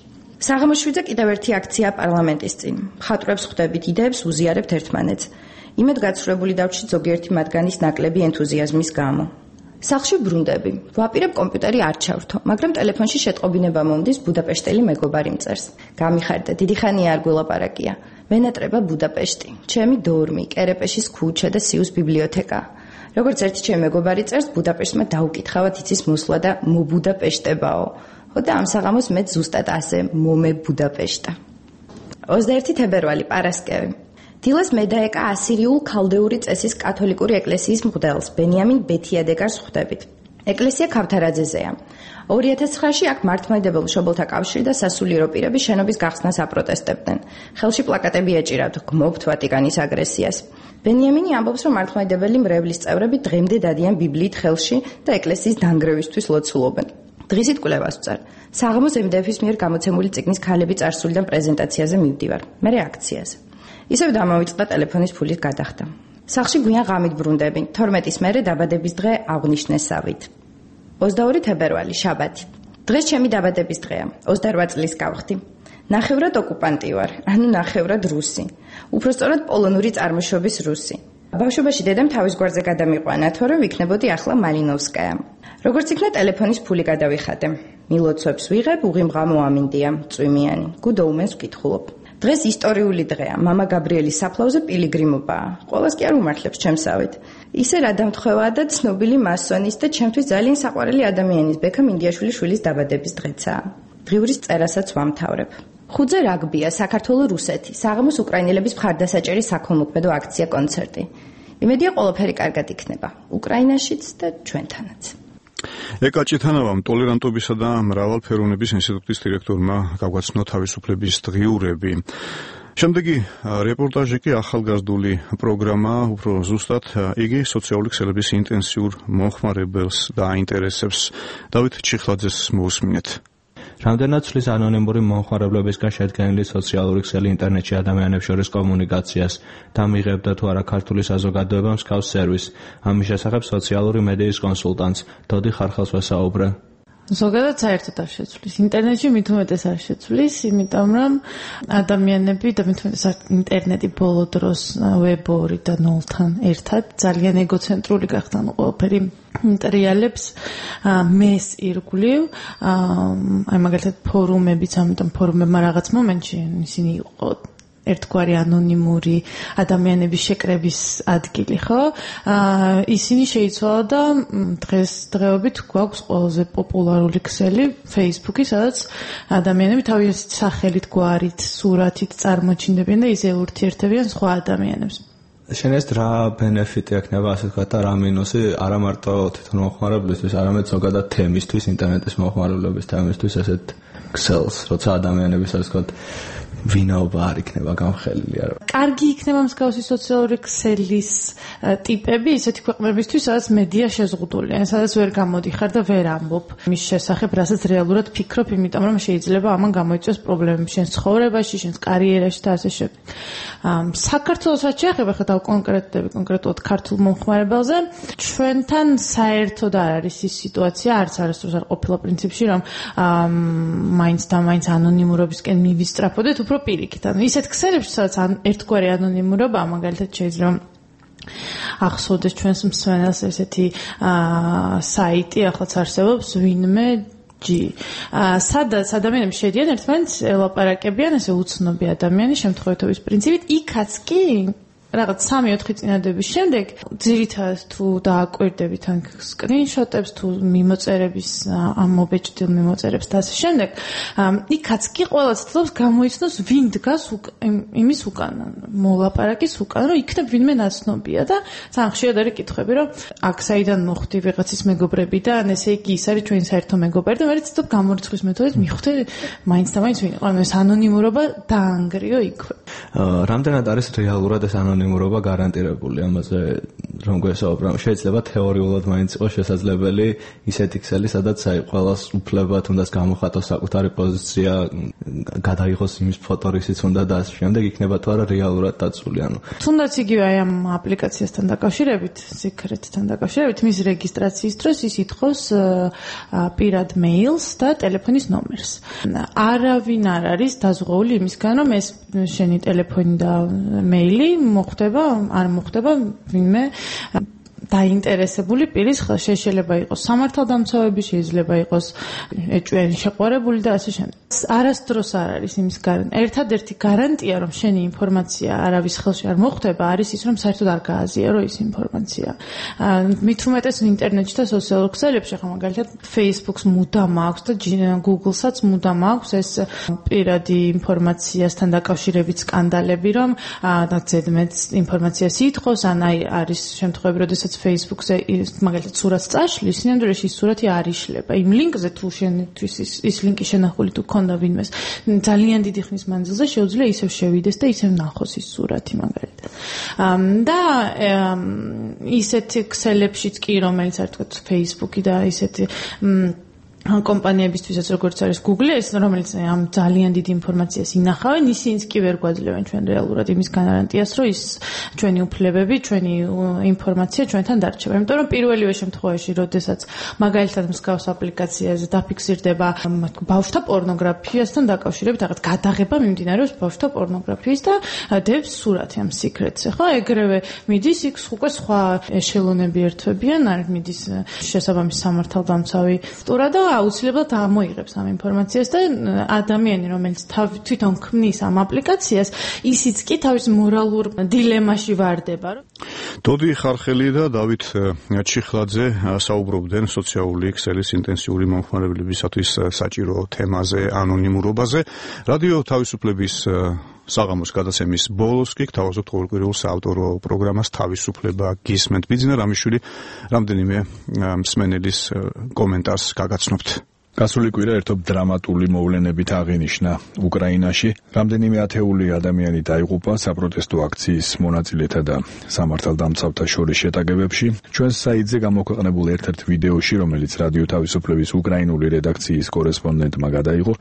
საღამოს შვიდზე კიდევ ერთი აქცია პარლამენტის წინ. მხატვრებს ხვდებით, იდეებს უზიარებთ ერთმანეთს. იმედ გაცხრებული დავჩით ზოგიერთი მათგანის ნაკლები ენთუზიაზმის გამო. სახლში ბრუნდები. ვაპირებ კომპიუტერი არ ჩავრთო, მაგრამ ტელეფონში შეტყობინება მომდის ბუდაპეშტელი მეგობარი მწერს. გამიხარდა, დიდი ხანია არ გველაპარაკია. მენატრება ბუდაპეშტი, ჩემი დორმი, კერეპეშის ქუჩა და სიუს ბიბლიოთეკა. როგორც ერთი ჩემი მეგობარი წერს, ბუდაპეშტმა დაუკითხავად იცის მოსვლა და მობუდაპეშტებაო. ხო და ამ საღამოს მე ზუსტად ასე მომე ბუდაპეშტა. ოცდაერთი თებერვალი, პარასკევი. დილას მე დაეკა ასირიულ ქალდეური წესის კათოლიკური ეკლესიის მღვდელს, ბენიამინ ბეთიადეგარს ხვდებით. ეკლესია ქავთარაძეზეა. ორი ათას ცხრაში აქ მართლმადიდებელ მშობელთა კავშირი და სასულიერო პირები შენობის გახსნას აპროტესტებდნენ. ხელში პლაკატები ეჭირავთ, გმობთ ვატიკანის აგრესიას. ბენიამინი ამბობს, რომ მართლმადიდებელი მრევლის წევრები დღემდე დადიან ბიბლიით ხელში და ეკლესიის დანგრევისთვის ლოცულობენ. დღისით კვლევას ვწარ. საღამოს ემ დე ეფ-ის მიერ გამოცემული წიგნის ქალები წარსულიდან პრეზენტაციაზე მივდივარ. მე რეაქციაზე. ისევ დამავიწყდა ტელეფონის ფულის გადახდა. სახლში გვიან ღამით ბრუნდები. თორმეტის მერე დაბადების დღე აღვნიშნესავით. ოცდაორი თებერვალი, შაბათი. დღეს ჩემი დაბადების დღეა. ოცდაორ წლის გავხდი. ნახევრად ოკუპანტი ვარ, ანუ ნახევრად რუსი. უпростоრად პოლონური წარმოშობის რუსი. ბავშვობაში დედამ თავის გვარზე გადამიყვანა, თორემ ვიქნებოდი ახლა მალინოვსკაია. როგორც იქნა ტელეფონის ფული გადავიხადე. მილოცვებს ვიღებ, უღიმღამო ამინდია, წვიმიანი. Good Omens ვკითხულობ. დღეს ისტორიული დღეა. მამა გაბრიელის საფლავზე პილიგრიმობაა. ყოველს კი არ უმართლებს ჩემსავით. ისე რა დამთხოვაა და ცნობილი მასონის და ჩემთვის ძალიან საყვარელი ადამიანის ბექა მინდიაშვილის შვილის დაბადების დღეცაა. დღიურის წერასაც ვამთავრებ. ხუთზე რაგბია, საქართველოს რუსეთი. საღამოს უკრაინელების მხარდასაჭერი საქველმოქმედო აქცია კონცერტი. იმედია ყველაფერი კარგად იქნება. უკრაინაშიც და ჩვენთანაც. ეკაჭითანავამ ტოლერანტობისა და მრავალფეროვნების ინსტიტუტის დირექტორმა გაგვაცნო თავისუფლების დღიურები. შემდეგი რეპორტაჟი კი ახალგაზრდული პროგრამა, უფრო ზუსტად იგი სოციალური ქსელების ინტენსიურ მომხმარებელს დააინტერესებს. დავით ჩიხლაძეს მოусმინეთ. რამდენად ცვლის ანონიმური მომხმარებლებისგან შედგენილი სოციალური ქსელი ინტერნეტში ადამიანებს შორის კომუნიკაციას და მიიღებდა თუ არა ქართული საზოგადოება მსგავს სერვისს. ამის შესახებ სოციალური მედიის კონსულტანტს დოდი ხარხელს ვესაუბრე. ზოგადად საერთოდ არ შეცვლის. ინტერნეტში მით უმეტეს არ შეცვლის, იმიტომ რომ ადამიანები და მით უმეტეს ინტერნეტი ბოლო დროს ვებ ორი და ნულთან ერთად ძალიან ეგოცენტრული გახდა, ყველაფერი მტრიალებს მეს ირგვლივ, აი მაგალითად ფორუმებიც, ამიტომ ფორუმებმა რაღაც მომენტში ისინი იყო ერთგვარი ანონიმური ადამიანების შეკრების ადგილი, ხო? ისინი შეიცვალა და დღეს დღეობით გვაქვს ყველაზე პოპულარული ქსელი Facebook-ი, სადაც ადამიანები თავისი სახელით, გვარით, სურათით წარმოჩინდებიან და ისე ურთიერთებიან სხვა ადამიანებს. შენეს რა ბენეფიტი ექნება, ასე ვთქვათ, და რა მინუსი არა მარტო თვითონ მომხმარებლისთვის, არამედ ზოგადად თემისთვის, ინტერნეტის მომხმარებლობის თემისთვის, ესეთ ქსელს, როცა ადამიანების, ასე ვთქვათ, ვინაობა არ იქნება გამხელილი არა. კარგი იქნება მსგავსი სოციალური ქსელის ტიპები ისეთი ქვეყნებისთვის, სადაც მედია შეზღუდულია, სადაც ვერ გამოდიხარ და ვერ ამბობ მის შესახებ, რასაც რეალურად ფიქრობ, იმიტომ რომ შეიძლება ამან გამოიწვიოს პრობლემები შენს ცხოვრებაში, შენს კარიერაში და ასე შემდეგ. საქართველოს რაც შეეხება, ხა დავკონკრეტდები კონკრეტულად ქართულ მომხმარებელზე, ჩვენთან საერთოდ არ არის ის სიტუაცია, არც არასდროს არ ყოფილა პრინციპში, რომ მაინც და მაინც ანონიმურობისკენ მივისწრაფოდეთ, უფრო პირიქით. ანუ ისეთ ქსელებში, სადაც ერთგვარი ანონიმურობა, მაგალითად შეიძლება ახსოვდეს ჩვენს მსმენელს ესეთი საიტი, ახლაც არსებობს ვინმე ჯი. სადაც ადამიანები შედიან ერთმანეთს ელაპარაკებიან, ესე უცნობი ადამიანი შემთხვევითობის პრინციპით, იქაც კი რაღაც სამი ოთხი წინადების შემდეგ ძირითადად თუ დააკვირდებით ან სკრინშოტებს თუ მიმოწერების ამ მობეჭდილ მიმოწერებს და ასე შემდეგ, იქაც კი ყველა ცდილობს გამოიცნოს ვინ დგას იმის უკან, მოლაპარაკის უკან, რომ იქნებ ვინმე ნაცნობია და ძალიან ხშირად არის კითხვები, რომ აქ საიდან მოხვდი ვიღაცის მეგობრებიდან, ესე იგი ის არის ჩვენი საერთო მეგობარი და მე ცდილობ გამორიცხვის მეთოდით მივხვდი მაინც და მაინც ვინ იყო, ანუ ეს ანონიმურობა დაანგრიო იქვე. რამდენად არის რეალურად ეს ანონიმურობა მურობა გარანტირებული ამაზე რომ გვესაუბრა. შეიძლება თეორიულად მაინც იყოს შესაძლებელი ისეთი ქსელი, სადაც აი ყველას უფლება თუნდაც გამოხატოს საკუთარი პოზიცია, გადაიღოს იმის ფოტო, რისიც უნდა და ასე შემდეგ, იქნება თუ არა რეალურად დაცული. ანუ თუნდაც იგივე აი ამ აპლიკაციასთან დაკავშირებით, Secret-თან დაკავშირებით, მის რეგისტრაციის დროს ის ითხოვს პირად მეილს და ტელეფონის ნომერს. არავინ არ არის დაზღვეული იმისგან, რომ ეს შენი ტელეფონი და მეილი მოხდება, არ მოხდება ვინმე დაინტერესებული პირის ხელში. შეიძლება იყოს სამართალდამცავები, შეიძლება იყოს ეჭვიანი შეყვარებული და ასე შემდეგ. არასდროს არ არის იმის გარანტია. ერთადერთი გარანტია, რომ შენი ინფორმაცია არავის ხელში არ მოხვდება, არის ის, რომ საერთოდ არ გააზიარო ის ინფორმაცია. მით უმეტეს ინტერნეტში და სოციალურ ქსელებში, ხა მაგალითად Facebook-ს მუდამ აქვს და Google-საც მუდამ აქვს ეს პირადი ინფორმაციასთან დაკავშირებით სკანდალები, რომ და ზედმეტ ინფორმაციას ითხოვს, ან აი არის შემთხვევები, როდესაც Facebook-ზე მაგალითად სურათს წაშლის, სინამდვილეში ის სურათი არ იშლება. იმ ლინკზე თუ შენთვის ის, ის ლინკი შენახული თუ ქონდა ვინმეს, ძალიან დიდი ხნის მანძილზე შეუძლია ისევ შევიდეს და ისევ ნახოს ის სურათი მაგალითად. და ისეთი ქსელებშიც კი, რომელიც არ თქვა Facebook-ი და ისეთი კომპანიებისთვისაც როგორც არის Google, ეს რომელიც ამ ძალიან დიდ ინფორმაციას ინახავენ, ისინიც კი ვერ გვაძლევენ ჩვენ რეალურად იმის გარანტიას, რომ ის ჩვენი უფლებები, ჩვენი ინფორმაცია ჩვენთან დარჩება. იმიტომ რომ პირველივე შემთხვევაში, როდესაც მაგალითად მსგავს აპლიკაციაზე დაფიქსირდება ბავშვთა პორნოგრაფიასთან დაკავშირებით, რაღაც გადაღება მიმდინარეობს ბავშვთა პორნოგრაფიის და დევს სურათი ამ Secret-ზე, ხო? ეგრევე მიდის იქ უკვე სხვა ეშელონები ერთვებიან, არის მიდის შესაბამის სამართალდამცავი სტურა და აუცილებლად ამოიღებს ამ ინფორმაციას და ადამიანი, რომელიც თვითონ ქმნის ამ აპლიკაციას, ისიც კი თავის მორალურ დილემაში ვარდება. დოდი ხარხელი და დავით ჩიხლაძე საუბრობდნენ სოციალური ქსელის ინტენსიური მომხმარებლებისათვის საჭირო თემაზე, ანონიმურობაზე. რადიო თავისუფლების საღამოს გადაცემის ბოლოს კი გთავაზობთ ყოველკვირეულ საავტორო პროგრამას თავისუფლება გისმენთ. ბიძინა რამიშვილი რამდენიმე მსმენელის კომენტარს გაგაცნობთ. გასული კვირა ერთობ დრამატული მოვლენებით აღინიშნა უკრაინაში. რამდენიმე ათეული ადამიანი დაიღუპა საპროტესტო აქციის მონაწილეთა და სამართალდამცავთა შორის შეტაკებებში. ჩვენს საიტზე გამოქვეყნებულ ერთ-ერთ ვიდეოში, რომელიც რადიო თავისუფლების უკრაინული რედაქციის კორესპონდენტმა გადაიღო,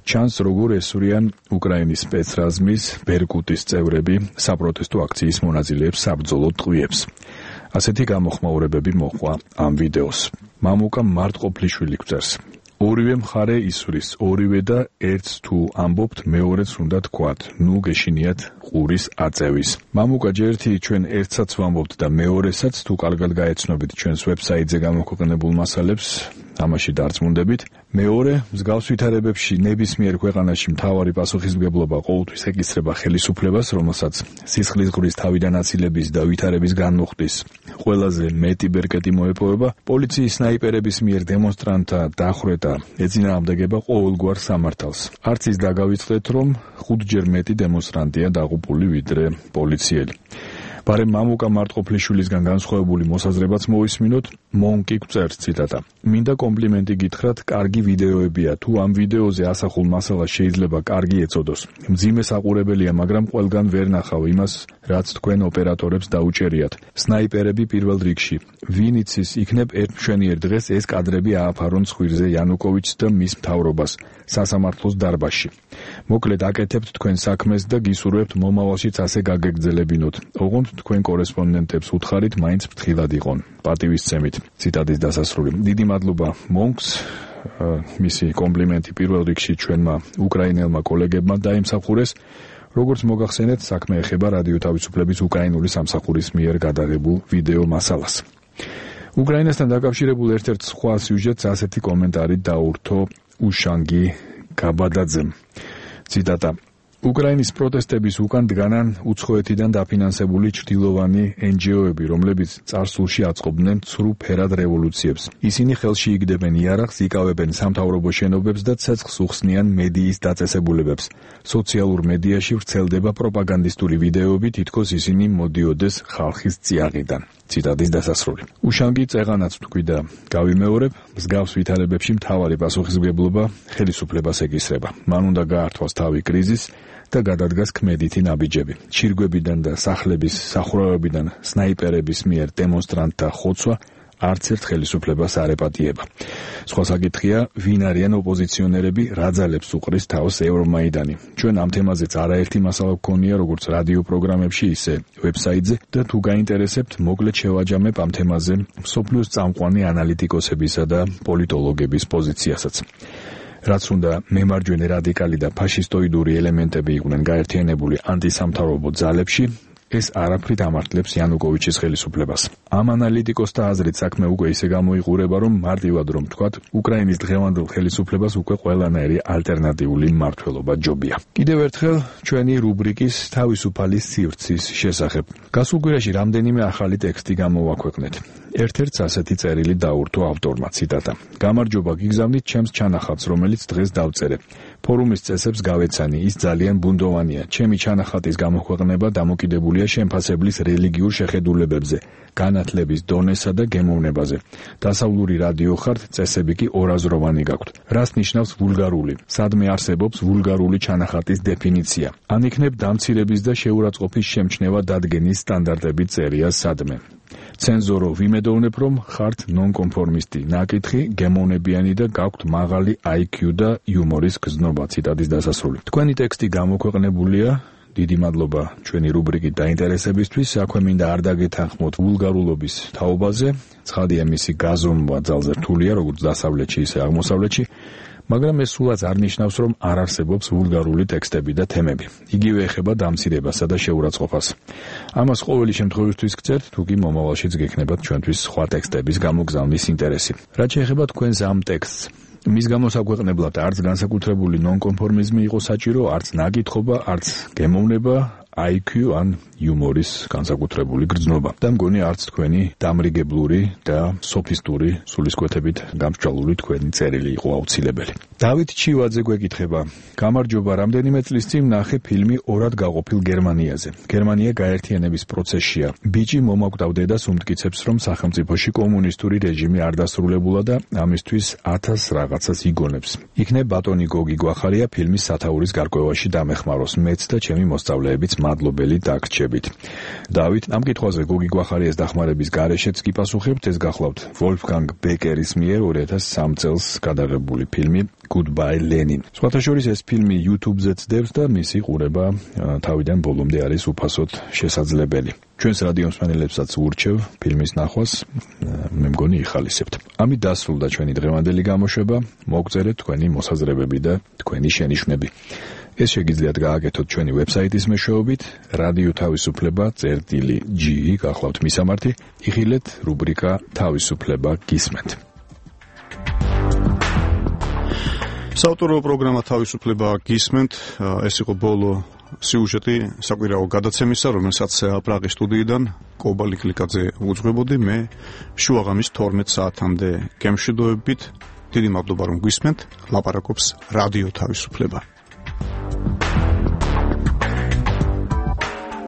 ჩანს როგორ ესვრიან უკრაინის სპეცრაზმის ბერკუტის წევრები საპროტესტო აქციის მონაწილეებს საბრძოლო ტყვიებს. ასეთი გამოხმაურებები მოჰყვა ამ ვიდეოს. მამუკა მარტყოფლიშვილი გვწერს: ორივე მხარე ისვრის, ორივე და ერთს თუ ამბობთ, მეორეც უნდა თქვათ, ნუ გეშინიათ ყურის აწევის. მამუკა ჯერთი ჩვენ ერთსაც ვამბობთ და მეორესაც თუ კარგად გაეცნობით ჩვენს ვებსაიტზე გამოქვეყნებულ მასალებს, ამაში დარწმუნდებით. მეორე, მსგავს ვითარებებში ნებისმიერ ქვეყანაში მთავარი პასუხისმგებლობა ყოველთვის ეკისრება ხელისუფლებას, რომელსაც სისხლის ღურის თავიდან აცილების და ვითარების განმუხტის ყველაზე მეტი ბერკეტი მოეპოვება. პოლიციის სნაიპერების მიერ დემონსტრანტთა დახვრეტა ეწინააღმდეგება ყოველგვარ სამართალს. არც ის დაგავიწყდეთ, რომ ხუთჯერ მეტი დემონსტრანტია დაღუპული ვიდრე პოლიციელი. ბარემ მამუკა მარტყოფლიშვილისგან განსხვავებული მოსაზრებაც მოვისმინოთ. მონკი გვწერს ციტატა: მინდა კომპლიმენტი გითხრათ, კარგი ვიდეოებია. თუ ამ ვიდეოზე ასახულ მასალას შეიძლება კარგი ეწოდოს. მძიმე საყურებელია, მაგრამ ყველგან ვერ ნახავ იმას, რაც თქვენ ოპერატორებს დაუჭერიათ. სნაიპერები პირველ რიგში. ვინ იცის, იქნებ ერთ მშვენიერ დღეს ეს კადრები ააფარონ ცხვირზე იანუკოვიჩს და მის მთავრობას სასამართლოს დარბაზში. მოკლედ აკეთებთ თქვენ საქმეს და გისურვებთ მომავალშიც ასე გაგეგრძელებინოთ. ოღონდ თქვენ კორესპონდენტებს უთხარით, მაინც ფრთხილად იყონ. პატივისცემით. ციტატის დასასრული. დიდი მადლობა მონკს. მისი კომპლიმენტი პირველ რიგში ჩვენმა უკრაინელმა კოლეგებმა დაიმსახურეს. როგორც მოგახსენეთ, საქმე ეხება რადიო თავისუფლების უკრაინული სამსახურის მიერ გადაღებულ ვიდეო მასალას. უკრაინასთან დაკავშირებულ ერთ-ერთ სხვა სიუჟეტს ასეთი კომენტარი დაურთო უშანგი გაბადაძემ. ციტატა: უკრაინის პროტესტების უკან დგანან უცხოეთიდან დაფინანსებული ჩრდილოვანი εν ჯი ო-ები, რომლებიც წარსულში აწყობდნენ ცრუ ფერად რევოლუციებს. ისინი ხელში იგდებენ იარაღს, იკავებენ სამთავრობო შენობებს და ცეცხლს უხსნიან მედიის დაწესებულებებს. სოციალურ მედიაში ვრცელდება პროპაგანდისტული ვიდეოები, თითქოს ისინი მოდიოდეს ხალხის წიაღიდან. ციტატის დასასრული. უშანგი წეღანაც თქვი და გავიმეორებ, მსგავს ვითარებებში მთავარი პასუხისმგებლობა ხელისუფლებას ეკისრება. მან უნდა გაართვას თავი კრიზისს და გადადგას ქმედითი ნაბიჯები. ჩირგვებიდან და სახლების სახურავებიდან სნაიპერების მიერ დემონსტრანტთა ხოცვა არც ერთ ხელისუფლებას არ ეპატიება. სხვა საკითხია, ვინ არიან ოპოზიციონერები, რა ძალებს უყრის თავს ევრომაიდანი. ჩვენ ამ თემაზეც არაერთი მასალა გვქონია, როგორც რადიო პროგრამებში, ისე ვებსაიტზე და თუ გაინტერესებთ, მოკლედ შევაჯამებ ამ თემაზე მსოფლიოს წამყვანი ანალიტიკოსებისა და პოლიტოლოგების პოზიციასაც. რაც უნდა მემარჯვენე რადიკალი და ფაშისტოიდური ელემენტები იყვნენ გაერთიანებული ანტისამთავრობო ძალებში, ეს არაფრით ამართლებს იანუკოვიჩის ხელისუფლებას. ამ ანალიტიკოსთა აზრით საქმე უკვე ისე გამოიყურება, რომ მარტივად რომ ვთქვათ, უკრაინის დღევანდელ ხელისუფლებას უკვე ყველანაირი ალტერნატიული მმართველობა ჯობია. კიდევ ერთხელ ჩვენი რუბრიკის თავისუფალი სივრცის შესახებ. გასულ კვირაში რამდენიმე ახალი ტექსტი გამოვაქვეყნეთ. ერთ-ერთს ასეთი წერილი დაურთო ავტორმა, ციტატა: გამარჯობა, გიგზავნით ჩემს ჩანახატს, რომელიც დღეს დავწერე. ფორუმის წესებს გავეცანი, ის ძალიან ბუნდოვანია. ჩემი ჩანახატის გამოქვეყნება დამოკიდებულია შემფასებლის რელიგიურ შეხედულებებზე, განათლების დონესა და გემოვნებაზე. დასავლური რადიო ხართ, წესები კი ორაზროვანი გაქვთ. რას ნიშნავს ვულგარული? სადმე არსებობს ვულგარული ჩანახატის დეფინიცია? ან იქნებ დამცირების და შეურაცხყოფის შემჩნევა დადგენის სტანდარტები წერია სადმე? ცენზორო, ვიმედოვნებ, რომ ხართ ნონკონფორმისტი, ნაკითხი, გემოვნებიანი და გაქვთ მაღალი აი კიუ და იუმორის გზნობა. ციტატის დასასრული. თქვენი ტექსტი გამოქვეყნებულია. დიდი მადლობა ჩვენი რუბრიკით დაინტერესებისთვის. აქვე მინდა არ დაგეთანხმოთ ვულგარულობის თაობაზე. ცხადია, მისი გაზომვა ძალზე რთულია, როგორც დასავლეთში, ისე აღმოსავლეთში. მაგრამ ეს სულაც არ ნიშნავს, რომ არ არსებობს ვულგარული ტექსტები და თემები. იგივე ეხება დამცირებასა და შეურაცხყოფას. ამას ყოველი შემთხვევისთვის გწერთ, თუ კი მომავალშიც გექნებათ ჩვენთვის სხვა ტექსტების გამოგზავნის ინტერესი. რაც შეეხება თქვენს ამ ტექსტს, მის გამოსაგვეყნებლად არც განსაკუთრებული ნონკონფორმიზმი იყო საჭირო, არც ნაკითხობა, არც გემოვნება, I Q ან იუმორის განსაკუთრებული გრძნობა. და მგონი არც თქვენი დამრიგებლური და სოფისტური სულისკვეთებით გამსჭვალული თქვენი წერილი იყო აუცილებელი. დავით ჩივაძე გვეკითხება: გამარჯობა, რამდენიმე წლის წინ ნახე ფილმი ორად გაყოფილ გერმანიაზე. გერმანია გაერთიანების პროცესშია. ბიჭი მომაკვდავ დედას უმტკიცებს, რომ სახელმწიფოში კომუნისტური რეჟიმი არ დასრულებულა და ამისთვის ათას რაღაცას იგონებს. იქნებ ბატონი გოგი გვახარია ფილმის სათაურის გარკვევაში დამეხმაროს. მეც და ჩემი მოსწავლეებიც მადლობელი დაგრჩებით. დავით, ამ კითხვაზე გოგი გვახარიას დახმარების გარეშეც კი პასუხებთ, ეს გახლავთ ვოლფგანგ ბეკერის მიერ ორი ათას სამ წელს გადაღებული ფილმი Goodbye Lenin. სხვათა შორის ეს ფილმი YouTube-ზეც დევს და მისი ყურება თავიდან ბოლომდე არის უფასოდ შესაძლებელი. ჩვენს რადიო მსმენელებსაც ვურჩევ ფილმის ნახვას, მე მგონი იხალისებთ. ამით დასრულდა ჩვენი დღევანდელი გამოშვება. მოგწერეთ თქვენი მოსაზრებები და თქვენი შენიშვნები. ეს შეგიძლიათ გააკეთოთ ჩვენი ვებსაიტის მეშვეობით რადიო თავისუფლება წერტილი G გახლავთ მისამართი, იხილეთ რუბრიკა თავისუფლება გისმენთ. საავტორო პროგრამა თავისუფლება გისმენთ, ეს იყო ბოლო სიუჟეტი საკვირაო გადაცემისა, რომელსაც პრაღის სტუდიიდან კობალი კლიკაძე უძღვებოდი, მე შუაღამის თორმეტ საათამდე გემშვიდობებით. დიდი მადლობა რომ გვისმენთ, ლაპარაკობს რადიო თავისუფლება.